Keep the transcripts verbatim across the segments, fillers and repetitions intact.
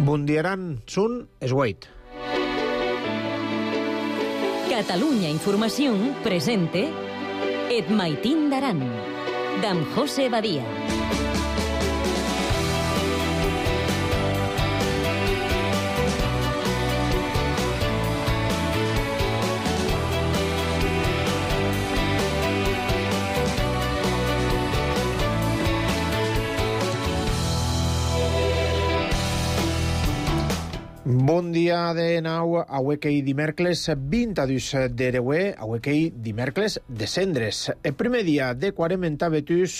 Bundiaran Sun Esweit. Catalunya Informació presente Et Maitín d'Aran, d'en José Badia. Bon dia de nou, auequei dimèrcles vint-dos d'Ereuer, auequei dimèrcles de Cendres. El primer dia de quarem enta Betus,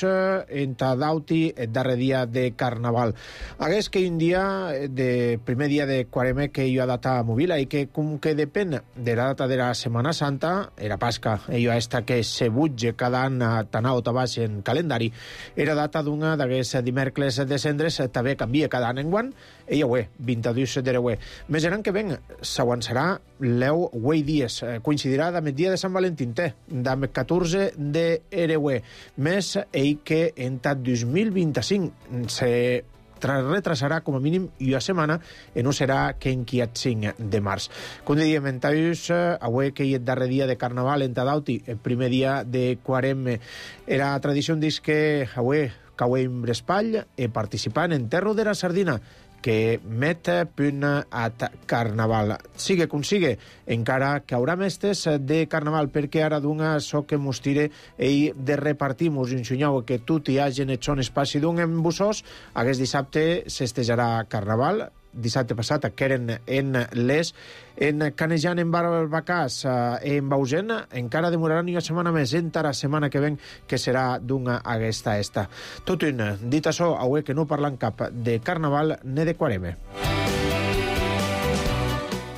enta Dauti, el darrer dia de Carnaval. Hagués que un dia, de primer dia de quarem, que hi ha data mòbil, i que com que depèn de la data de la Setmana Santa, era Pasca, hi ha esta que se butge cada any tan alt a baix en calendari, era data d'una d'aquests dimèrcles de Cendres, també canvia cada any en guant, i aué, vint-dos d'Ereuer. Més gran que ben, s'avançarà l'eu uei dies. Coincidirà amb el dia de Sant Valentín, amb el catorze d'Ereuer. Més ell que en dos mil vint-i-cinc se retrasarà com a mínim una setmana i no serà que en el cinc de març. Com dèiem, en Taus, avui que hi és el darrer dia de Carnaval en Tadauti, el primer dia de Quarem, era tradició dis que avui cauem l'espall i participant en Terro de la Sardina, que met punt a Carnaval. Sigue com sigue, encara que haurà mestres de Carnaval, perquè ara d'una so que mos tire i de repartir-mos un xunyau que tot hi hagi en son espaci d'un en bussós. Aquest dissabte s'estejarà Carnaval. Dissabte passat que eren en les en Canejan, en Barbacàs, en Bausen, encara demoraran una setmana més, entra la setmana que ven, que serà d'una aquesta esta. Tot un, dit això, avui que no parlant cap de Carnaval ni de Quareme.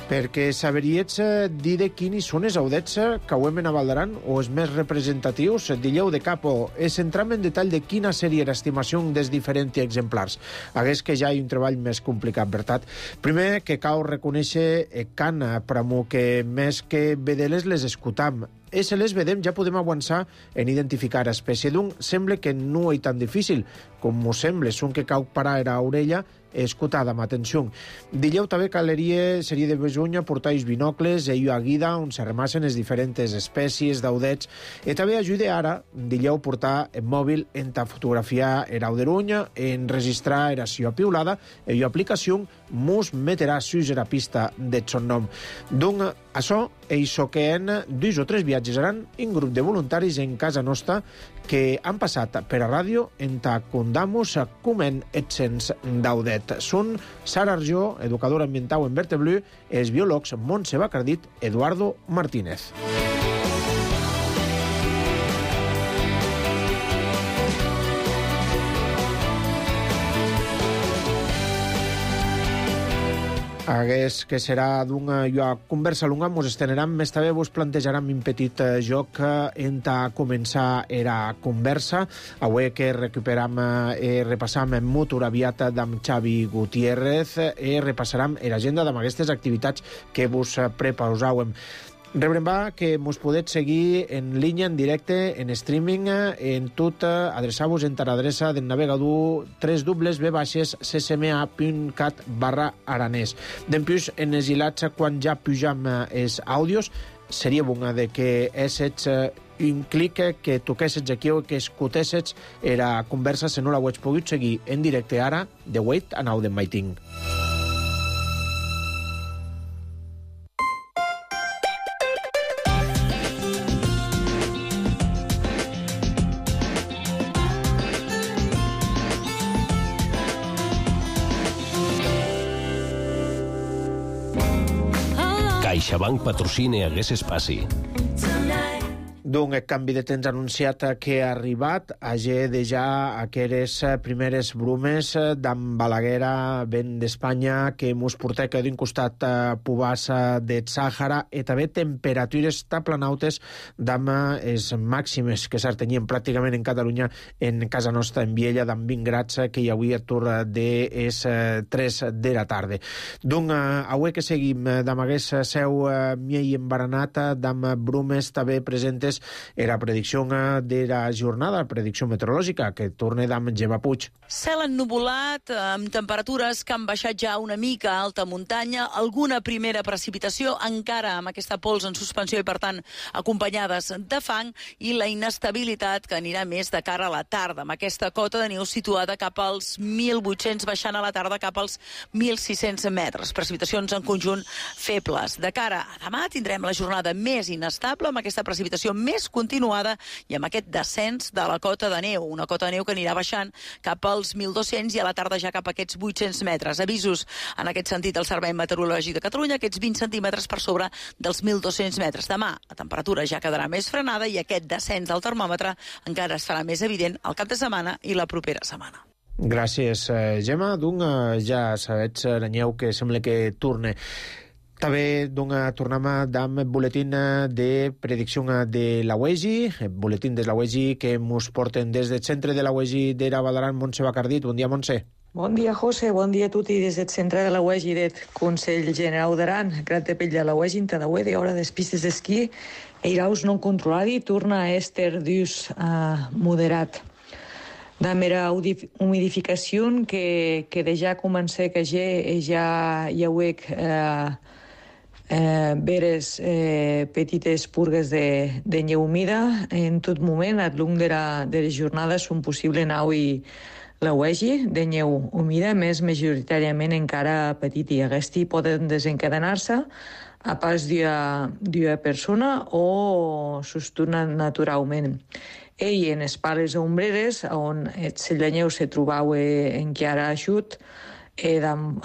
Perquè saberiets dir de quins són els audets que auem en Avaldaran o els més representatius, dilleu de capo, és entram en detall de quina seria l'estimació dels diferents exemplars. Hagués que ja hi ha un treball més complicat, veritat. Primer, que cal reconèixer can pramo que més que vedeles les escutam. I si les vedem ja podem avançar en identificar espècie d'un. Sembla que no és tan difícil com m'ho sembla, són que cal parar a l'orella escutada amb atenció. Dilleu també caleria seria de besonya portar els binocles i a guida on se remassen les diferents espècies d'audets. I també ajuda ara, dilleu, portar el mòbil en ta fotografiar l'auderunya, en registrar la seva piulada i l'aplicació mos meterà sus la pista de son nom. Donc, això és que en dos o tres viatges seran un grup de voluntaris en casa nostra que han passat per a ràdio en ta condamos coment etcents d'audet. Són Sara Arjó, educadora ambiental en Verte Blu, i els biòlegs Montse Bacardit, Eduardo Martínez. Hagués que serà d'una conversa longa, mos esteneram, més també vos plantejaram un petit joc en ta començar era conversa. Avui que recuperam i repassam en motor aviat d'en Xavi Gutiérrez i repassarem l'agenda d'en aquestes activitats que vos preparàvem. Rebrem va que mos podeu seguir en línia, en directe, en streaming, en tot, adreçar-vos en l'adreça del navegador tres w w punt c c m a punt cat barra aranès. Dempuix, en els hilats, quan ja pujam els àudios, seria bona de que essets un clic, que toquessets aquí o que escutessets la conversa, si no la ho haig pogut seguir en directe ara, de Wait and Now de Maiting. CaixaBank patrocina hagués espaci. D'un canvi de temps anunciat que ha arribat, hagi de ja aquelles primeres brumes d'en Balaguera, vent d'Espanya, que mos porta que d'un costat pubàs de Sàhara i també temperatures taplanautes d'am les màximes que s'artenien pràcticament en Catalunya, en casa nostra, en Viella, d'en vint grads, que hi havia a tour de les tres de la tarda. Doncs avui que seguim d'am hagués seu miei embaranat, d'am brumes també presentes Era predicció de la jornada, la predicció meteorològica, que torna d'am Gemma Puig. Cel ennuvolat, amb temperatures que han baixat ja una mica a alta muntanya, alguna primera precipitació, encara amb aquesta pols en suspensió i, per tant, acompanyades de fang, i la inestabilitat que anirà més de cara a la tarda, amb aquesta cota de neu situada cap als mil vuit-cents, baixant a la tarda cap als mil sis-cents metres. Precipitacions en conjunt febles. De cara a demà tindrem la jornada més inestable, amb aquesta precipitació més continuada i amb aquest descens de la cota de neu, una cota de neu que anirà baixant cap als mil dos-cents i a la tarda ja cap a aquests vuit-cents metres. Avisos en aquest sentit al Servei Meteorològic de Catalunya, aquests vint centímetres per sobre dels mil dos-cents metres. Demà la temperatura ja quedarà més frenada i aquest descens del termòmetre encara es farà més evident al cap de setmana i la propera setmana. Gràcies, Gemma. Doncs ja sabets, l'anyeu que sembla que torne. També doncs, tornem amb el boletín de predicció de la U E G I, el boletín de la U E G I que ens porten des del centre de la U E G I d'Era Balaran, Montse Bacardit. Bon dia, Montse. Bon dia, José. Bon dia a tutti des del centre de la U E G I del Consell General d'Aran. Grat de pell de la U E G I, en tadaué de hora des pistes d'esquí, eiraus non controladi, torna a èster d'ús uh, moderat. Da mera humidificació que, que de ja comença que ja, ja hi hauec eh, eh, veres eh, petites purgues de, de neu humida. En tot moment, al llarg de, la, de les jornades, són possible nau i la U E G I de neu humida, més majoritàriament encara petit, i aquests poden desencadenar-se a pas d'una persona o sostenen naturalment. Ell, en les pales ombreres, on el lleneu se trobava encara eixut, era amb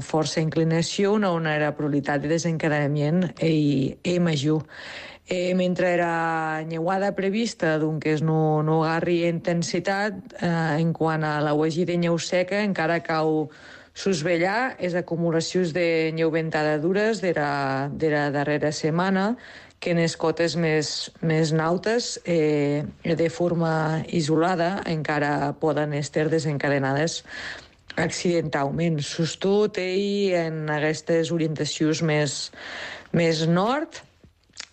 força inclinació, on era probabilitat de desencadenament i major. Eh, mentre era nyeuada prevista, doncs no, no agarri intensitat, eh, en quant a la U E G I de neu seca, encara cau sosvellar les acumulacions de neu ventada dures de la, de la darrera setmana, que en les cotes més, més nautes, eh, de forma isolada, encara poden estar desencadenades accidentalment. Sostot ell en aquestes orientacions més, més nord,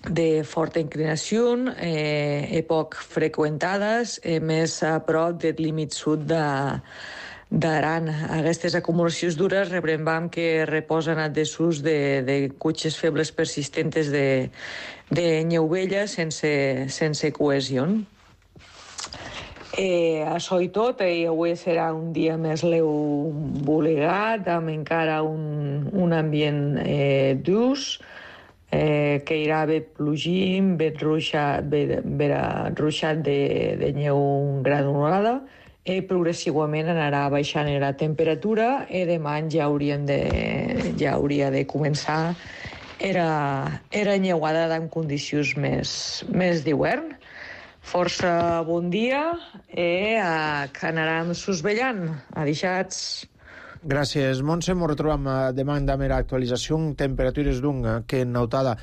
de forta inclinació, eh, poc freqüentades, eh, més a prop del límit sud de d'Aran. Aquestes acumulacions dures rebrem que reposen a desús de, de cutxes febles persistentes de, de neu vella sense, sense cohesió. Eh, això i tot, eh, avui serà un dia més leu volegat, amb encara un, un ambient eh, durs, eh, que irà bé plogint, bé ruixat, bé, bé ruixat de, de neu granulada, i progressivament anarà baixant la temperatura i demà ja, de, ja hauria de començar era, era nyeuada en condicions més, més d'hivern. Força bon dia i eh, que anarem sosvellant. Adixats. Gràcies, Montse. Ens retrobam demà amb l'actualització. Temperatures d'un que en notada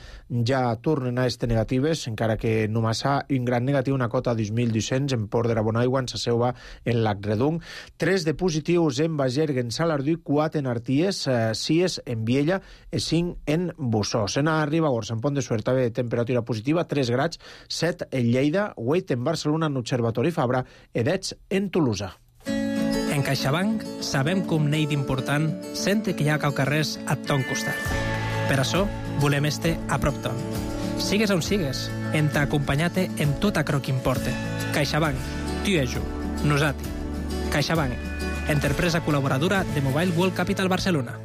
ja tornen a estar negatives, encara que només ha un gran negatiu, una cota de dos mil dos-cents en Port de la Bonaigua, en Sasseua, en Lac Redung. Tres de positius en Bagergue, en Salardú, quatre en Arties, sis en Viella i cinc en Bussós. En Ribagorça, en Pont de Suert, també temperatura positiva, tres grads, set en Lleida, vuit en Barcelona, en Observatori Fabra, i deu en Tolosa. En CaixaBank sabem com n'hi d'important sente que hi ha caucarrers a ton costat. Per això volem este a prop ton. Sigues on sigues, en t'acompanyate en tot aquello que importa. CaixaBank, tu i jo, nosati. CaixaBank, empresa col·laboradora de Mobile World Capital Barcelona.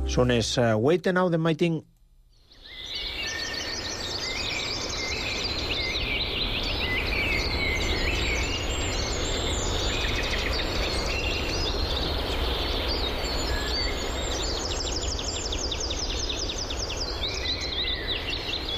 Són els vuit i nou de Maiting.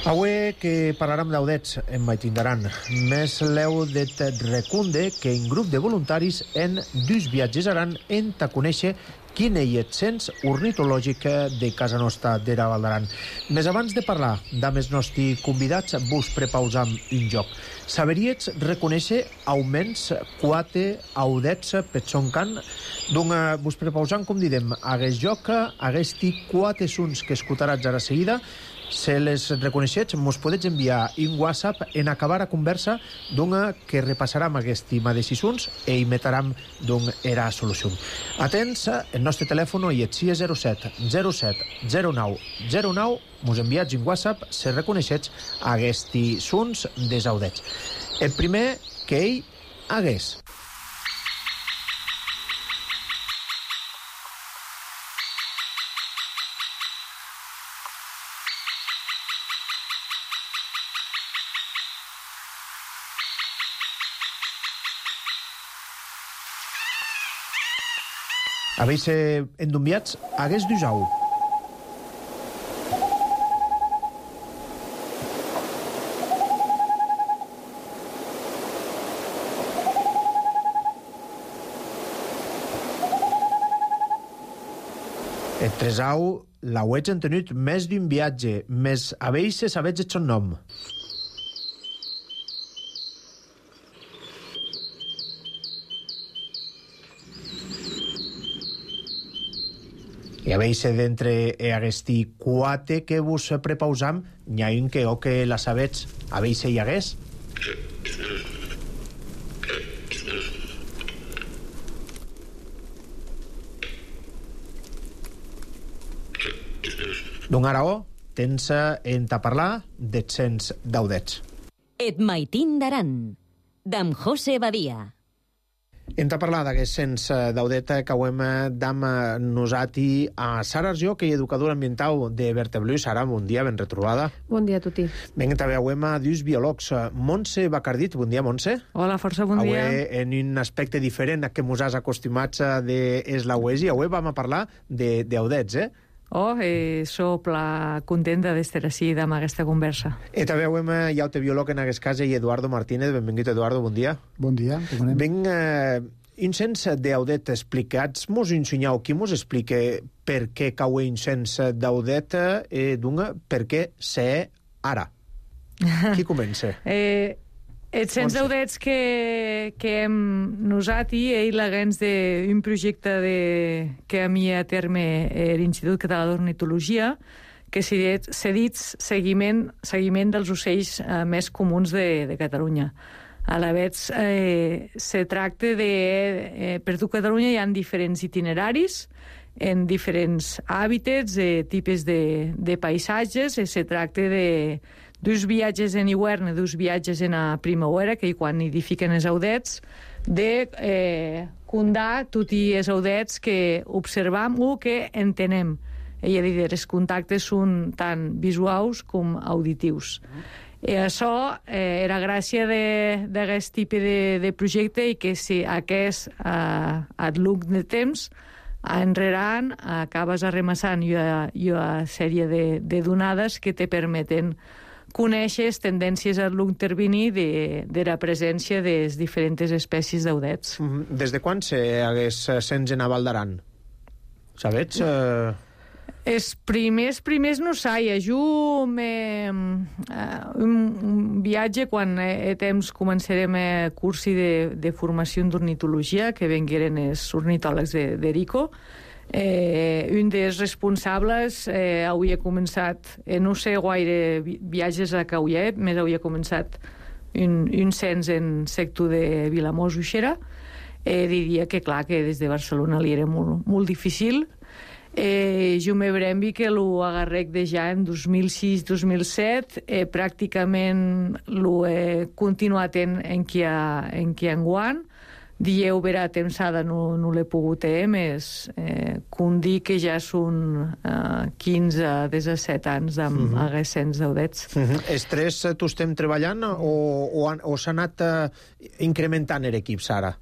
Avui que parlarem d'audets en Maitindaran. Més leu de recunde que un grup de voluntaris en dus viatges aran en ta conèixer quin és el cens ornitològic de casa nostra d'Era Val d'Aran. Més abans de parlar d'amés nostres convidats, vos prepausam un joc. Saberíetz reconèixer augments quatre audets per son can. Donc, vos prepausam, com didem, aguest joc, aguesti quatre sons que escutaràs ara seguida. Se les reconeixets, mos podets enviar un WhatsApp en acabar a conversa d'un que repassarem aquest mateix sons e imitaram d'un era solució. Atents, el nostre telèfon i et sia zero set zero set zero nou zero nou, mos enviats un WhatsApp se reconeixets aquests sons desaudets. El primer que ell hagués. Habéis eh, endumbiats hagués d'usau. El tresau l'auets han tenut més d'un viatge, més habéis se sabets el son nom. I habéis d'entre aguesti quatre que vos prepausam, n'hi ha un que o que la sabets, habéis hi hagués? Doncs ara o, tens en ta parlar d'ets cents daudets. Et maitin d'aran, d'am José Badia. Hem de parlar d'aquest cens d'audeta que ho hem d'am nosati a Sara Arjó, que és educadora ambiental de Verteblu. Sara, bon dia, ben retrobada. Bon dia a tutti. Ben, també hem dus biòlegs. Montse Bacardit, bon dia, Montse. Hola, força bon dia. Avui, en un aspecte diferent a que mos has acostumats de es la uesi, avui vam a parlar d'audets, eh? Oh, eh, so pla contenta d'estar així amb aquesta conversa. I també hem ja el biòleg en aquest cas, i Eduardo Martínez. Benvingut, Eduardo, bon dia. Bon dia, com anem? Ben, eh, un cens d'audet explicats, mos ensenyau, qui mos explica per què cau un cens d'audet, eh, d'un per què sé ara? Qui comença? eh, els cens d'audets que, que hem nosat i ell l'agents d'un projecte de, que a mi a terme l'Institut Català d'Ornitologia, que s'ha dit seguiment, seguiment dels ocells eh, més comuns de, de Catalunya. A la vegada, eh, se tracta de... Eh, per tot Catalunya hi ha diferents itineraris, en diferents hàbitats, eh, tipus de, de paisatges, i se tracta de dos viatges en hivern i dos viatges en a primavera, que quan nidifiquen els audets, de eh, condar tots els audets que observam o que entenem. I a dir, els contactes són tant visuals com auditius. I això eh, era gràcia d'aquest tipus de, de projecte i que si aquest, eh, al llarg de temps, enrerant, acabes arremassant una sèrie de, de donades que te permeten conèixer les tendències a long termini de, de la presència de les diferents espècies d'audets. Mm -hmm. Des de quan se hagués cens en a Val d'Aran? Sabets? Eh... Els primers, primers no saia. Jo me, uh, un, un viatge quan a temps començarem a cursi de, de formació d'ornitologia, que vengueren els ornitòlegs d'Erico. Eh, un dels responsables eh, hauria començat, eh, no sé gaire viatges a Cauiet, més hauria començat un, un cens en sector de Vilamós Uixera. Eh, diria que, clar, que des de Barcelona li era molt, molt difícil. Eh, jo me brembi que lo agarrec de ja en dos mil sis dos mil set, eh, pràcticament lo he continuat en, en qui ha, en qui enguant. Dieu vera temsada no, no l'he pogut eh, més eh, com dir que ja són eh, quinze a disset anys amb uh -huh. aquests cents d'audets. Uh -huh. Els tres tu estem treballant o, o, o s'ha anat eh, incrementant l'equip, Sara?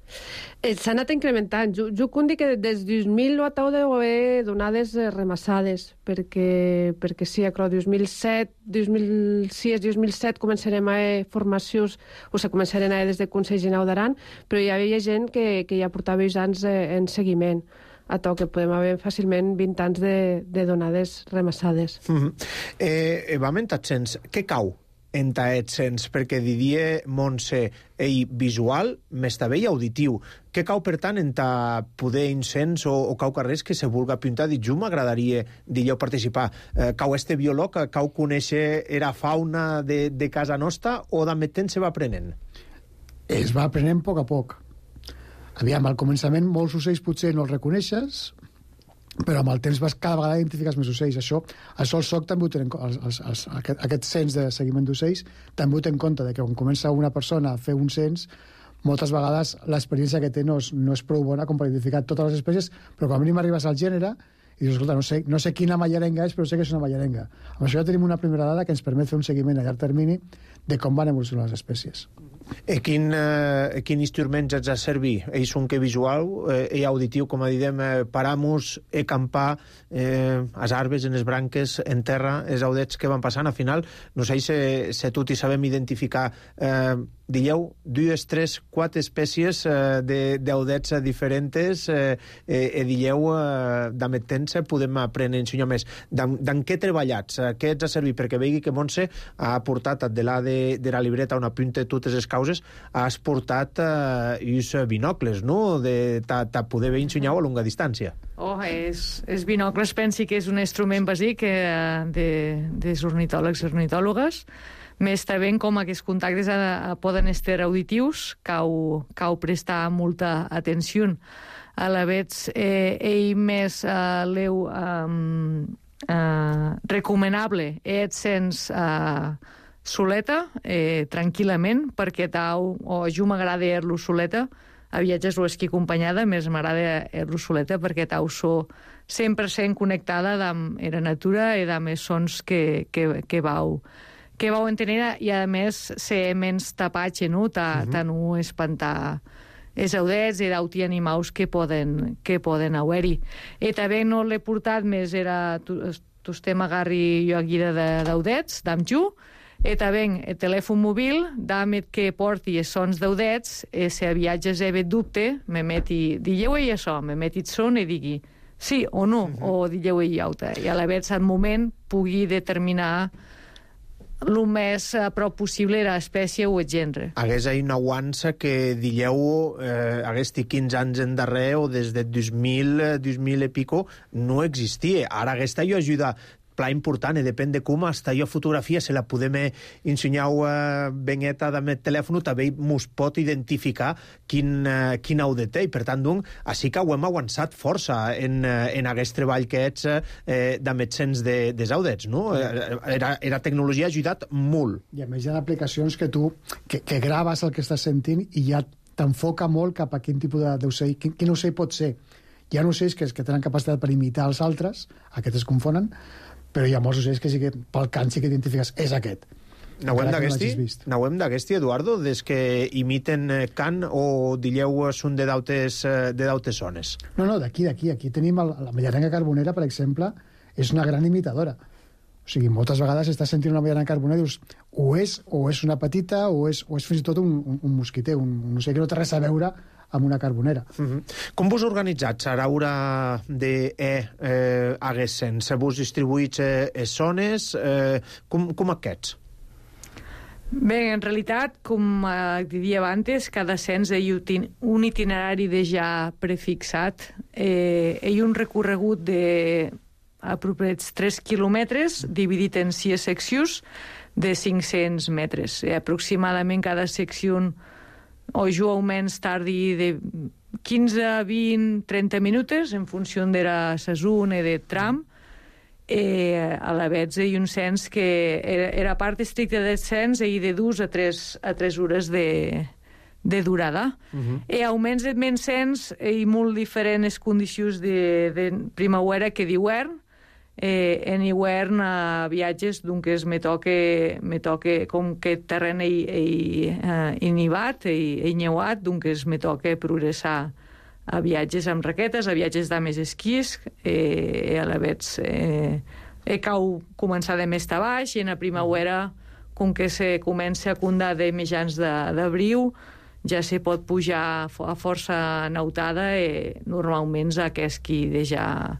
Eh, s'ha anat incrementant. Jo, jo com dic que des del dos mil ho atau de haver donades eh, remassades, perquè, perquè sí, a dos mil set, dos mil sis, dos mil set començarem a eh, formacions, o sigui, començarem a des de Consell Generau d'Aran, però hi havia gent que, que ja portava anys eh, en seguiment. a to, que podem haver fàcilment vint anys de, de donades remassades. Mm-hmm. eh, vam entrar sens, què cau enta ets sens? Perquè Didier Montse, ell visual, més també i auditiu. Què cau, per tant, enta poder incens o, o cau carrers que se vulga pintar? Dic, jo m'agradaria, dilleu, participar. Eh, cau este biòleg, cau conèixer era fauna de, de casa nostra o d'amb temps se va aprenent? Es va aprenent a poc a poc. Aviam, al començament molts ocells potser no els reconeixes, però amb el temps vas cada vegada identifiques més ocells. Això, això el S O C també ho té en compte, els, els, aquest, aquest cens de seguiment d'ocells també ho té en compte, de que quan comença una persona a fer un cens, moltes vegades l'experiència que té no és, no és prou bona com per identificar totes les espècies, però quan a mínim arribes al gènere i dius, escolta, no sé, no sé quina mallarenga és, però sé que és una mallarenga. Amb això ja tenim una primera dada que ens permet fer un seguiment a llarg termini de com van evolucionar les espècies. E quin, eh, quin instruments ets a servir? Ells són que visual eh, i auditiu, com a didem, eh, paramos, e campar, eh, as arbres, en les branques, en terra, els audets que van passant. Al final, no sé si, si tot hi sabem identificar, eh, dieu, dues, tres, quatre espècies eh, d'audets diferents eh, eh, e dieu, eh, d'amb temps podem aprendre a ensenyar més. Dan, dan què treballats? Eh, què ets a servir? Perquè vegi que Montse ha portat de la de, de la libreta on apunta totes les causes, has portat eh, uns binocles, no?, de ta, ta poder veure ensenyar a longa distància. Oh, és, és binocles, pensi que és un instrument bàsic eh, de, dels ornitòlegs i ornitòlogues. Més també com aquests contactes a, a poden estar auditius, cau, cau prestar molta atenció. A la vegada, eh, ell més eh, leu eh, eh, recomanable és sens eh, soleta, eh, tranquil·lament, perquè tau, o jo m'agrada er-lo soleta, a viatges o esquí acompanyada, més m'agrada er-lo soleta, perquè tau so cent per cent connectada amb la natura i amb els sons que, que, que vau que vau entenent, i a més ser menys tapatge, no? Ta, uh-huh. ta no espantar els audets i d'auti animals que poden, que poden haver-hi. I també no l'he portat més, era tu, tu estem agarri jo aquí d'audets, d'am ju, i també el telèfon mòbil, d'àmet que porti els sons d'audets, i si a viatges he dubte, me meti, digueu ell això, me meti el son i digui sí o no, uh-huh. o digueu ell auta. I a la vegada, al moment, pugui determinar el més a prop possible era l'espècie o el gènere. Hagués ahí una guança que, dilleu, eh, hagués quinze anys en darrer o des de dos mil, dos mil i pico, no existia. Ara aquesta jo ajuda pla important, i depèn de com, hasta jo fotografia se la podem ensenyar uh, beneta amb el telèfon, també mos pot identificar quin, uh, quin audet té, i per tant, doncs, així que ho hem avançat força en, uh, en aquest treball que ets uh, d'amb sens de, des audets, no? Era, era tecnologia ha ajudat molt. I a més hi ha aplicacions que tu, que, que graves el que estàs sentint i ja t'enfoca molt cap a quin tipus d'ocell, quin, quin ocell pot ser. Hi ha ocells que, que tenen capacitat per imitar els altres, aquests es confonen, però hi ha molts ocells que sí que pel cant sí que identifiques, és aquest. N'hauem d'aquesti, n'hauem d'aquesti, Eduardo, des que imiten cant o dilleu són de dautes, de dautes zones? No, no, d'aquí, d'aquí. Aquí tenim el, la mallarenga carbonera, per exemple, és una gran imitadora. O sigui, moltes vegades estàs sentint una mallarenga carbonera i dius, o és, o és una petita, o és, o és fins i tot un, un, un mosquiter, un, un ocell que no té res a veure amb una carbonera. Uh-huh. Com vos organitzats a l'hora de eh, eh, hagués sens? Vos distribuïts eh, les zones? Eh, com, com aquests? Bé, en realitat, com eh, diria abans, cada cens hi ha un itinerari de ja prefixat. Eh, hi ha un recorregut de apropiats tres quilòmetres, dividit en sis seccions de cinc-cents metres. Eh, aproximadament cada secció o jo almenys tardi de quinze, vint, trenta minuts en funció de la saison i de tram. Eh, a la vegada hi ha un cens que era, era part estricta del cens i de dues a tres, a tres hores de, de durada. Uh-huh. I almenys de menys cens hi ha molt diferents condicions de, de primavera que d'hivern. Eh, en hivern a viatges doncs me toque, me toque com que terreny hi ha nevat i neuat, doncs me toque progressar a viatges amb raquetes, a viatges de més esquís, eh, a la vegada eh, he cau començar de més a baix, i en la primavera, com que se comença a condar de mitjans d'abril, ja se pot pujar a força nautada i normalment aquest qui deixa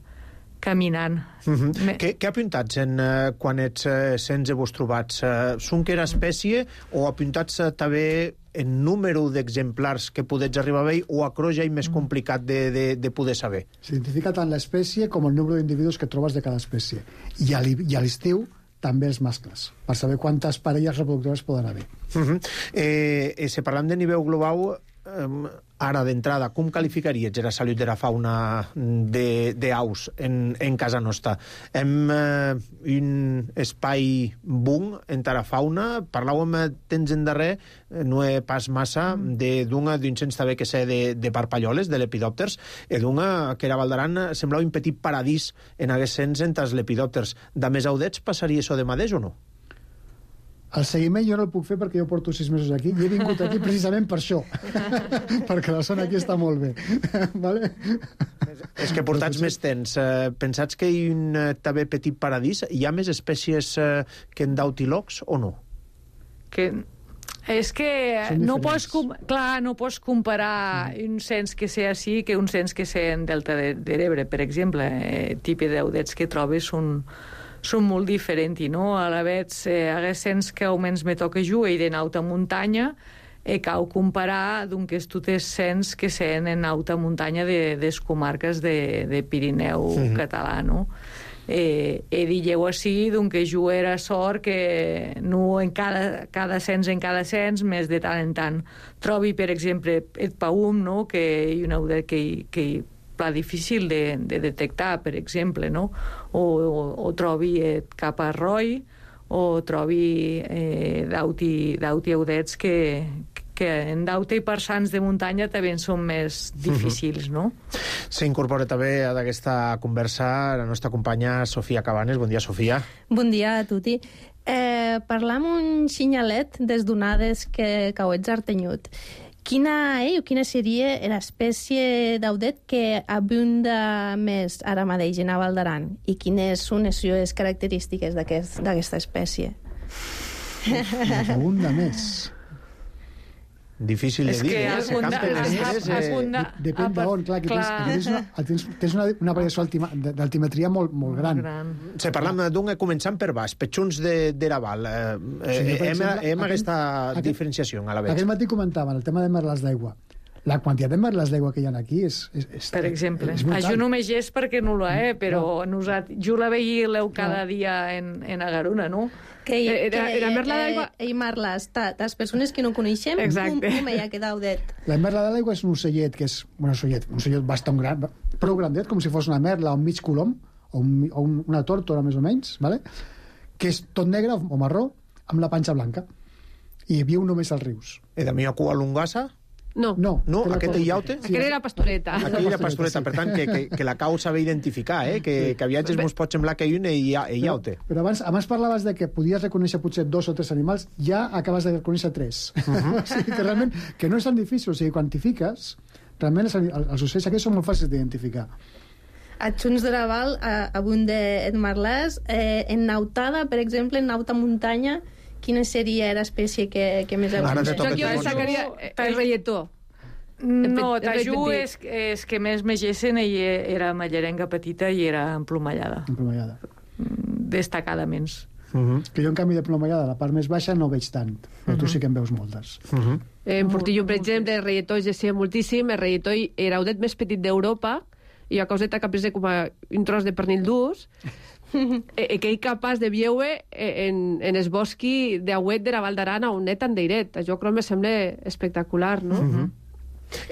caminant. Uh -huh. Me... Què, què apuntats en, uh, quan ets uh, sense vos trobats? Uh, són que era espècie o apuntats uh, també en número d'exemplars que podets arribar a veure o a croix ja és més complicat de, de, de poder saber? S'identifica tant l'espècie com el número d'individus que trobes de cada espècie. I a l'estiu també els mascles, per saber quantes parelles reproductores poden haver. Uh -huh. eh, eh, si parlem de nivell global, eh, ara d'entrada, com qualificaries la salut de la fauna d'aus en, en casa nostra? Hem eh, un espai boom en la fauna, parlàvem temps endarrer, no he pas massa, d'una d'un cents també que sé de, de parpalloles, de lepidòpters, i d'una que era Valdaran semblava un petit paradís en aquests cents entre els lepidòpters. De més audets passaria això de mateix o no? El seguiment jo no el puc fer perquè jo porto sis mesos aquí i he vingut aquí precisament per això. Perquè la zona aquí està molt bé. Vale? És que portats més temps. Pensats que hi ha un també petit paradís? Hi ha més espècies que en dautilocs o no? Que... És que no pots, clar, no pots comparar un cens que sé així que un cens que sé en Delta de, de l'Ebre, per exemple. Eh, tipus d'audets que trobes són... són molt diferents, no? A la vegada, eh, aquests cents que auments me toca jugar i d'en alta muntanya, eh, cau comparar doncs tots cents que sent en alta muntanya de, de les comarques de, de Pirineu mm-hmm. català, no? Eh, he digueu així, doncs que jo era sort que no en cada, cada cens en cada cens, més de tant en tant trobi, per exemple, el paum, no? Que hi ha una audet que, que difícil de, de detectar, per exemple, no? O, o, o trobi eh, cap a roi, o trobi eh, dauti, dauti audets que, que en dauta i persans de muntanya també són més difícils, no? S'incorpora també a aquesta conversa la nostra companya Sofia Cabanes. Bon dia, Sofia. Bon dia a tutti. Eh, parlam un xinyalet des donades que cauets artenyut. Quina és o quina seria l'espècie d'audet que abunda més ara mateix en Val d'Aran i quines són les característiques d'aquesta espècie? Abunda més. Difícil de dir, eh? Depèn d'on, clar, que tens, una, tens, tens una, una variació d'altimetria molt, molt gran. Se parlam d'un començant per baix, petxuns de, de la Val. Eh, eh, hem hem aquesta diferenciació a la vegada. Aquest matí comentaven el tema de merles d'aigua. La quantitat de merles d'aigua que hi ha aquí és... és, és per exemple. És jo no me gest perquè no la he, però no. jo la veia cada dia en, en Agaruna, no? Que, que, era, era merla d'aigua... Eh, I merles, les persones que no coneixem, com, com hi ha quedat audet? La merla de l'aigua és un ocellet que és... Bueno, ocellet, un ocellet bastant gran, prou grandet, com si fos una merla o un mig colom, o, un, o una tórtora, més o menys, ¿vale? Que és tot negre o marró, amb la panxa blanca. I viu només als rius. I de mi a cua lungassa? No. No, no aquest iaute? Sí, aquest era pastoreta. Aquí era pastoreta, per tant, que, que, que la cau saber identificar, eh? que, sí. que a viatges mos pot semblar que hi ha un iaute. Però, però abans, abans parlaves de que podies reconèixer potser dos o tres animals, ja acabes de reconèixer tres. Uh-huh. O sigui, que realment, que no és tan difícil, o sigui, quantifiques, realment els, els ocells aquests són molt fàcils d'identificar. A Junts de la Val, abunde en merlès, eh, en nautada, per exemple, en nauta muntanya, quina seria l'espècie que, que més abunda? Jo aquí destacaria el reietó. No, tajú és, és que més megessen i era mallerenga petita i era emplomallada. Emplomallada. Destacadament. Uh-huh. Que jo, en canvi, de plomallada, la part més baixa no veig tant, però uh-huh. tu sí que en veus moltes. Uh-huh. En Portillo, per exemple, el reietó es gessia moltíssim, el reietó era l'audet més petit d'Europa, i a causeta que presa com a un tros de pernil d'ús, e, que és capaç de veure en, en el bosqui d'auet de la Val d'Aran on net en d'eiret. Això crec me sembla espectacular, no? Uh-huh.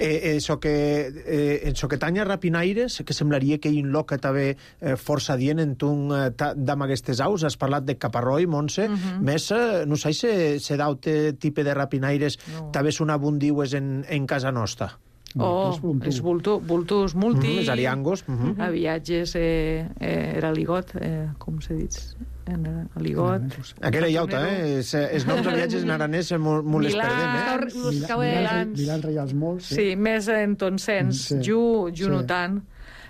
Eh, eso que eh, en so que tanya rapinaires, que semblaria que hi ha un loc que també eh, força dient en tu eh, d'am aquestes aus. Has parlat de caparroi, Montse, uh-huh. més, eh, no sé si se daute tipus de rapinaires no. també són abundiues en, en casa nostra. Oh, els vultus multi... Mm, els ariangos. Mm-hmm. A viatges eh, eh, era ligot, eh, com se dit? Aligot... Aquella iauta, eh? Els noms de viatges en aranès molt les perdem, eh? Milans reials molts. Sí, més en ton sens. Jo no tant.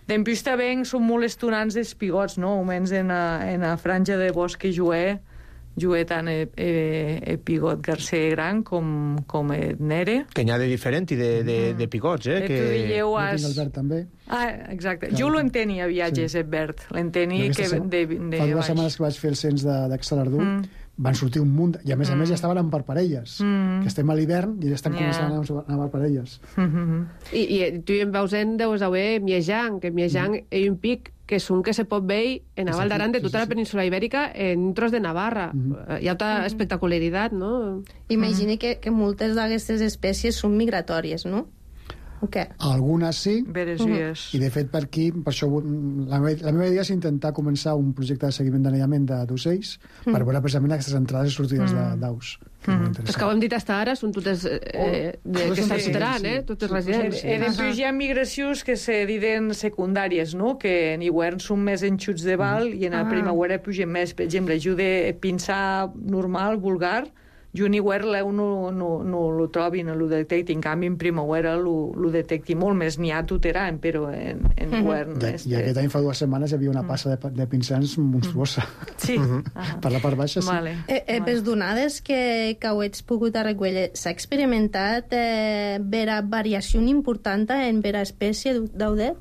Després també són molt estonants els pigots, no? Almenys en la franja de bosc que jugué, jugué tant el, el, el pigot garcer gran com, com el nere. Que n'hi ha de diferent i de, de, de picots, eh? Eh, Que... tu dilleu Jo has... tinc el verd també. Ah, exacte. Clar. Jo l'enteni a viatges, Sí. el verd. L'enteni Jo que aquesta de, se- de Fa dues baix. setmanes que vaig fer el cens de- d'Excelardú, Mm. van sortir un munt, i a més a més ja estaven per parelles, Mm. que estem a l'hivern i ja estem Ja. començant a anar- a anar per parelles. Mhm. I, i tu en veusent deus haver Miejang, que Miejang mm. és un pic que és un que se pot veure en a Sí, Val d'Aran de sí, tota sí, la sí. península ibèrica en un tros de Navarra. Mhm. Hi ha una espectacularitat, no? Imagini que, que moltes d'aquestes espècies són migratòries, no? O què? Algunes sí, Veresies. i de fet per aquí, per això mm, la, meva, la meva idea és intentar començar un projecte de seguiment d'anellament de- d'ocells Mm. per veure precisament aquestes entrades i sortides de- d'aus. que és molt Els interessant. que ho hem dit fins ara són totes eh, de, Totes que són s'ajutaran, residents, eh? sí. Totes Sí, residents. E després hi ha migracions que se diuen secundàries, no? Que en hivern són més enxuts de val i en la Ah. primavera pugen més. Per exemple, jo de pinçar normal, vulgar, jo en hivern l'eu no, no, no lo trobi, no lo detecti. En canvi, en primavera lo, lo detecti molt més. N'hi ha tuteran, però en, en hivern... I, este- I aquest any fa dues setmanes hi havia una passa de, de pinsans monstruosa. Sí. Ah. Per la part baixa, sí. Vale. Eh, eh, per donades que, que ho ets pogut arreglar, s'ha experimentat eh, vera variació important en vera espècie d'audet?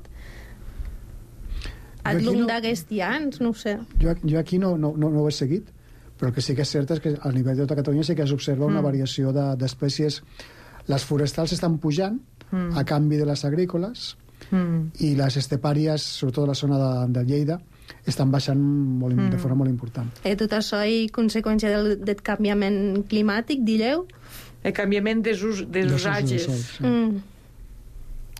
Al aquí llum no- d'aquests anys, no ho sé. Jo, jo aquí no, no, no, no ho he seguit, però el que sí que és cert és que a nivell de tota Catalunya sí que s'observa una variació de- d'espècies. Les forestals estan pujant Mm. a canvi de les agrícoles Mm. i les estepàries, sobretot a la zona de, de Lleida, estan baixant molt, de forma molt important. Eh, tot això és conseqüència del, del canviament climàtic, dilleu? El canviament dels, us, dels Dels usos del usatges. sol, sí. Mm.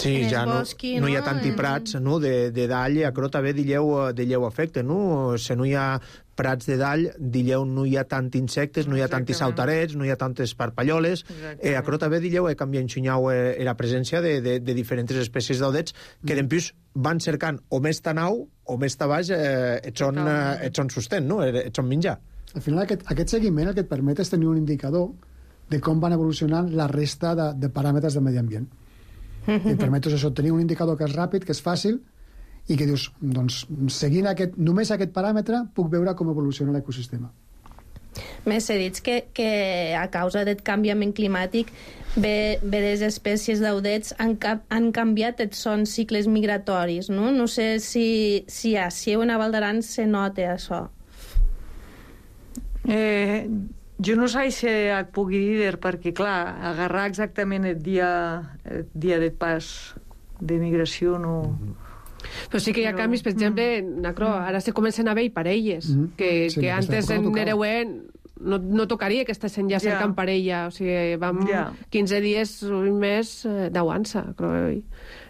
Sí, En el ja no, bosqui, no hi ha no? tanti prats no? de, de dall, a Cro també dilleu, dilleu efecte, no? Se no hi ha prats de dall, dilleu no hi ha tant insectes, no hi ha tanti Exactament. sautarets, no hi ha tantes parpalloles. Exactament. Eh, a Cro també dilleu he canviat enxunyau eh, la presència de, de, de diferents espècies d'audets que d'empús van cercant o més tanau o més tabaix eh, et, són, eh, et són sostén, no? Et, et són menjar. Al final, aquest, aquest seguiment el que et permet és tenir un indicador de com van evolucionant la resta de, de paràmetres del medi ambient. I et permet doncs, això, tenir un indicador que és ràpid, que és fàcil, i que dius, doncs, seguint aquest, només aquest paràmetre, puc veure com evoluciona l'ecosistema. Més s'ha dit que, que a causa del canviament climàtic bé, bé les espècies d'audets han, cap, han canviat els sons cicles migratoris, no? No sé si, si a Sieu en a Val d'Aran se nota això. Eh, jo no sé si et pugui dir, perquè, clar, agarrar exactament el dia, el dia de pas de migració no... Però sí que hi ha Però- canvis, per exemple, en Acro, ara se comencen a veure parelles, Mhm. que, Sí, que aquesta antes època no en tocava. Nereuent no, no tocaria que estessin ja Ja. cercant parella, o sigui, vam Ja. quinze dies, un mes eh, d'aguança, en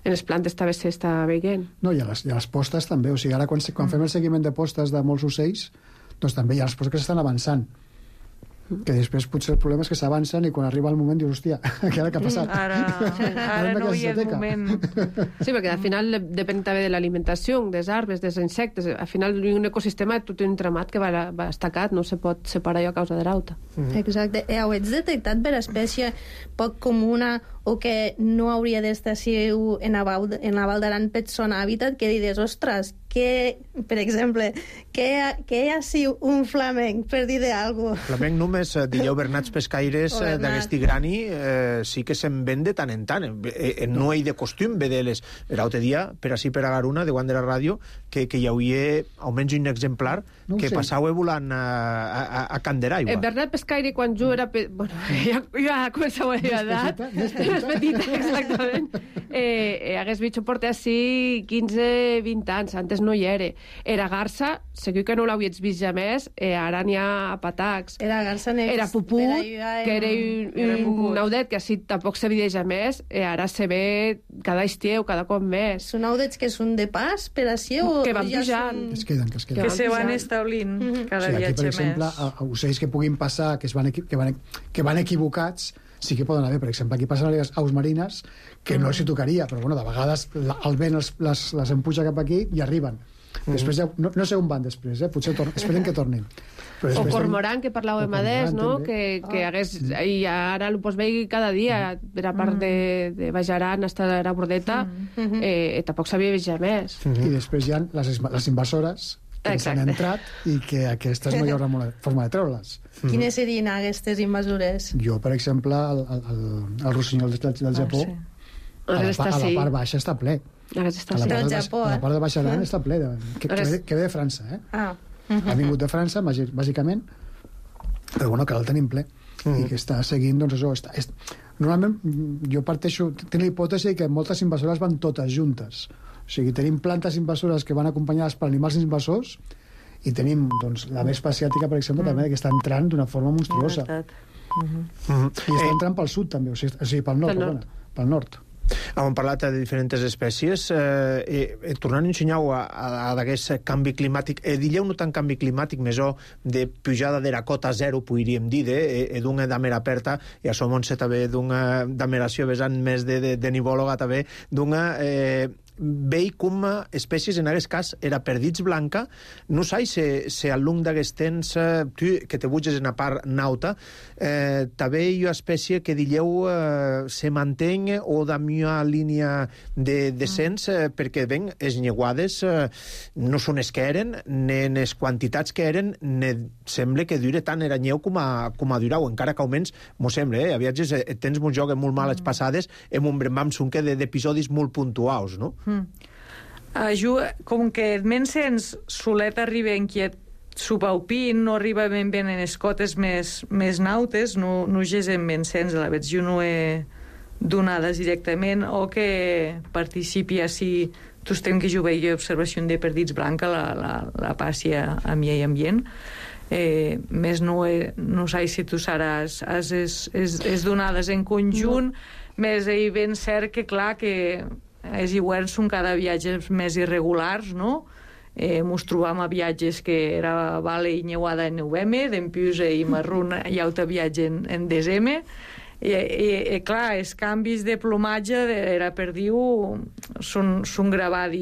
les plantes també s'està veient. No, i a les, i a les postes també. O sigui, ara quan, quan fem el seguiment de postes de molts ocells, doncs també hi ha les postes que s'estan avançant. Que després potser el problema és que s'avancen i quan arriba el moment dius, hòstia, què ara que ha passat? Ara, ara no hi ha el moment... Sí, perquè al final de- depèn també de l'alimentació, dels arbres, dels insectes. Al final un ecosistema és tot un entramat que va, va estacat, no se pot separar allò a causa de l'auta. Exacte. Eh, heu detectat per espècie poc comuna o que no hauria d'estar si en la Val, en la Val d'Aran per son hàbitat, que dius, ostres, que, per exemple, que, que hi ha si un flamenc, per dir d'algú. Flamenc només, eh, dilleu bernats pescaires O eh, bernat. d'aquest grani eh, sí que se'n ven de tant en tant. Eh, eh, no hi de costum vedeles. L'altre dia, per així per a Garuna, de Guant de la Ràdio, que, que hi havia almenys un exemplar No ho que sé. passava volant a, a, a Can d'Eraigua. El Bernat Pescaire, quan jo era... Pe... Bueno, ja, ja començava a dir edat. petita, més Més petita, exactament. Eh, eh, hagués vist portar així quinze vint anys, antes no hi era. Era garça, segur que no l'hauries vist ja més, eh, ara n'hi ha patacs. Era garça nex. Era puput, per allà, que era Era un, puput. un audet que així tampoc se veia ja més, eh, ara se ve cada estiu, cada cop més. Són audets que són de pas per a si o Que van ja pujant. són- Que es queden, que es queden. Que se van Ja. establint cada Sí, aquí, viatge per exemple, més. a, a ocells que puguin passar, que, es van, equi que, van, que van equivocats, sí que poden haver. Per exemple, aquí passen les aus marines, que no s'hi tocaria, però bueno, de vegades la, el vent els, les, les empuja cap aquí i arriben. Després ja, no, no sé on van després, eh? Potser tor esperen que tornin. Però O després cormoran, que parlàvem O adés, cormoran, no? també. Que, que Ah. hagués... I ara ho pots veure cada dia, per a part de, de Bajaran hasta la Bordeta, eh, tampoc s'havia vist ja més. I després hi ha les, les invasores, que ens han entrat i que aquesta és la millor forma de treure-les. Quines serien aquestes invasores? Jo, per exemple, el, el, el rossinyol del, del Japó, sí. a, la, a la part baixa està ple. A la part del Japó, a la part de Baix Aran està ple, de, que, que, ve, que ve de França, eh? Ah. Ha vingut de França, bàsicament, però bueno, que el tenim ple. I que està seguint, doncs això... Està, és, normalment, jo parteixo... Tinc la hipòtesi que moltes invasores van totes juntes. O sigui, tenim plantes invasores que van acompanyades per animals invasors i tenim, doncs, la vespa asiàtica, per exemple, mm. també, que està entrant d'una forma monstruosa. Uh -huh. I està entrant pel sud, també, o sigui, o sigui pel nord, pel nord. Pel nord. Hem parlat de diferents espècies. Eh, eh, tornant a ensenyar a, a, a d'aquest canvi climàtic, eh, dilleu no tant canvi climàtic, més o de pujada de la cota zero, podríem dir, eh, eh, d'una damer aperta, i això Montse també d'una dameració vessant més de, de, de nivòloga també, d'una... Eh, veig com espècies, en aquest cas, era perdits blanca. No sé si, si al long d'aquest temps, eh, tu, que te butges en la part nauta, eh, també hi ha espècie que dilleu eh, se mantén o da millor línia de descens, eh, perquè, ben, les lleguades eh, no són les que eren, ni les quantitats que eren, ni sembla que dure tant era nyeu com a, com a durau, encara que almenys, m'ho sembla, eh? A viatges eh, tens molt joc molt males passades, amb un brembam sunque d'episodis molt puntuals, no? Mm. Uh, com que el Mensens solet arriba inquiet subaupint, no arriba ben bé en les cotes més, més nautes, no, no és en Mensens, a la vegada jo no he donades directament, o que participi així tu estem que jo veia observació de perdits blanca, la, la, la passi a, a mi i ambient. Eh, més no, he, no sé si tu seràs és, és, és, és donades en conjunt, no. Més hi ben cert que clar que els hiverns són cada viatges més irregulars, no? Eh, mos trobam a viatges que era vale i neuada en novembre, d'empius i marrón i alta viatge en, en desembre. I, i, i clar, els canvis de plomatge era per dir-ho són, són gravats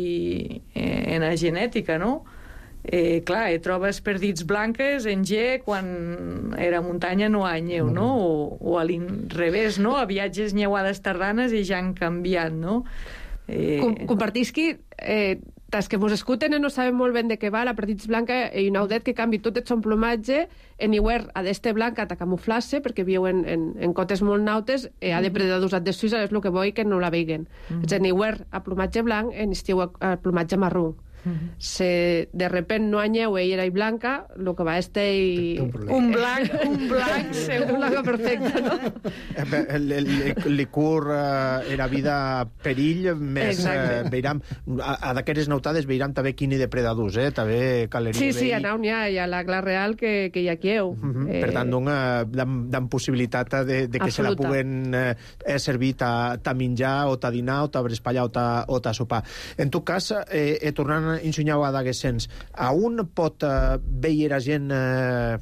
en la genètica, no? Eh, clar, eh, trobes perdits blanques en G quan era muntanya no hi ha neu, no? O, o a l'inrevés, no? A viatges neuades tardanes i ja han canviat, no? Eh... Com, compartisqui, eh, tas que mos escuten no sabem molt ben de què va, la perdits blanca i un audet que canvi tot el son plomatge en hivern a d'este blanca ta camuflar-se perquè viu en, en, en cotes molt nautes eh, ha de predadors de Suïssa, és el que vull que no la veiguen. Mm -hmm. En hivern a plomatge blanc, en estiu a, a plomatge marró. Mm-hmm. Se de repent no hi ha ella era blanca, el que va este i... un blanc, un blanc segur. Un blanc perfecte, no? El, el, el licur eh, era vida perill, més eh, veiram, a, a d'aquestes nautades veiram també quini depredadors, eh? També caleria. Sí, sí, a nau n'hi ha, hi ha la gla real que, que hi ha quieu. Mm-hmm. Eh... Per tant, dan possibilitat de, de que Absoluta. Se la puguen eh, servir ta, ta menjar o ta dinar o ta brespallar o ta, o ta sopar. En tot cas, eh, eh, tornant ensenyau a d'aquest sens, a on pot eh, veure la gent eh,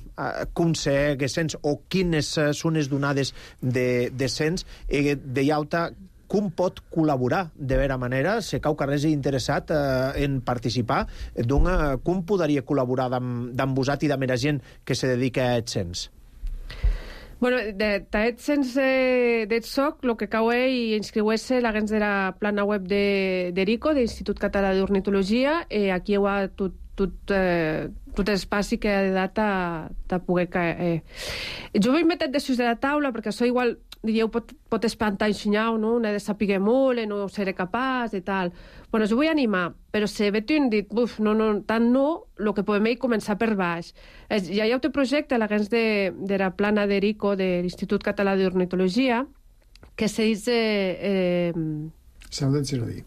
com ser aquest sens o quines eh, són les donades de, de sens eh, de llauta, com pot col·laborar de vera manera, si cau que res és interessat eh, en participar, doncs eh, com podria col·laborar amb, amb vosaltres i amb la gent que se dedica a aquest sens? Bueno, d'aet sense d'et soc, el que cau és i inscriuer-se la gens de la plana web de d'Erico, de l'Institut Català d'Ornitologia, i aquí hi ha tot, tot, eh, tot l'espai que ha de data de poder caer. Eh. Jo vull metre de sus de la taula, perquè això igual, diríeu, pot, pot espantar ensenyar, no? No he de saber molt, no seré capaç i tal. Bueno, jo vull animar, però si veig un dit, buf, no, no, tant no, el que podem és començar per baix. Hi ha un projecte, la gens de, de la plana d'Erico, de l'Institut Català d'Ornitologia, que se diu... Eh, Saudets jardí.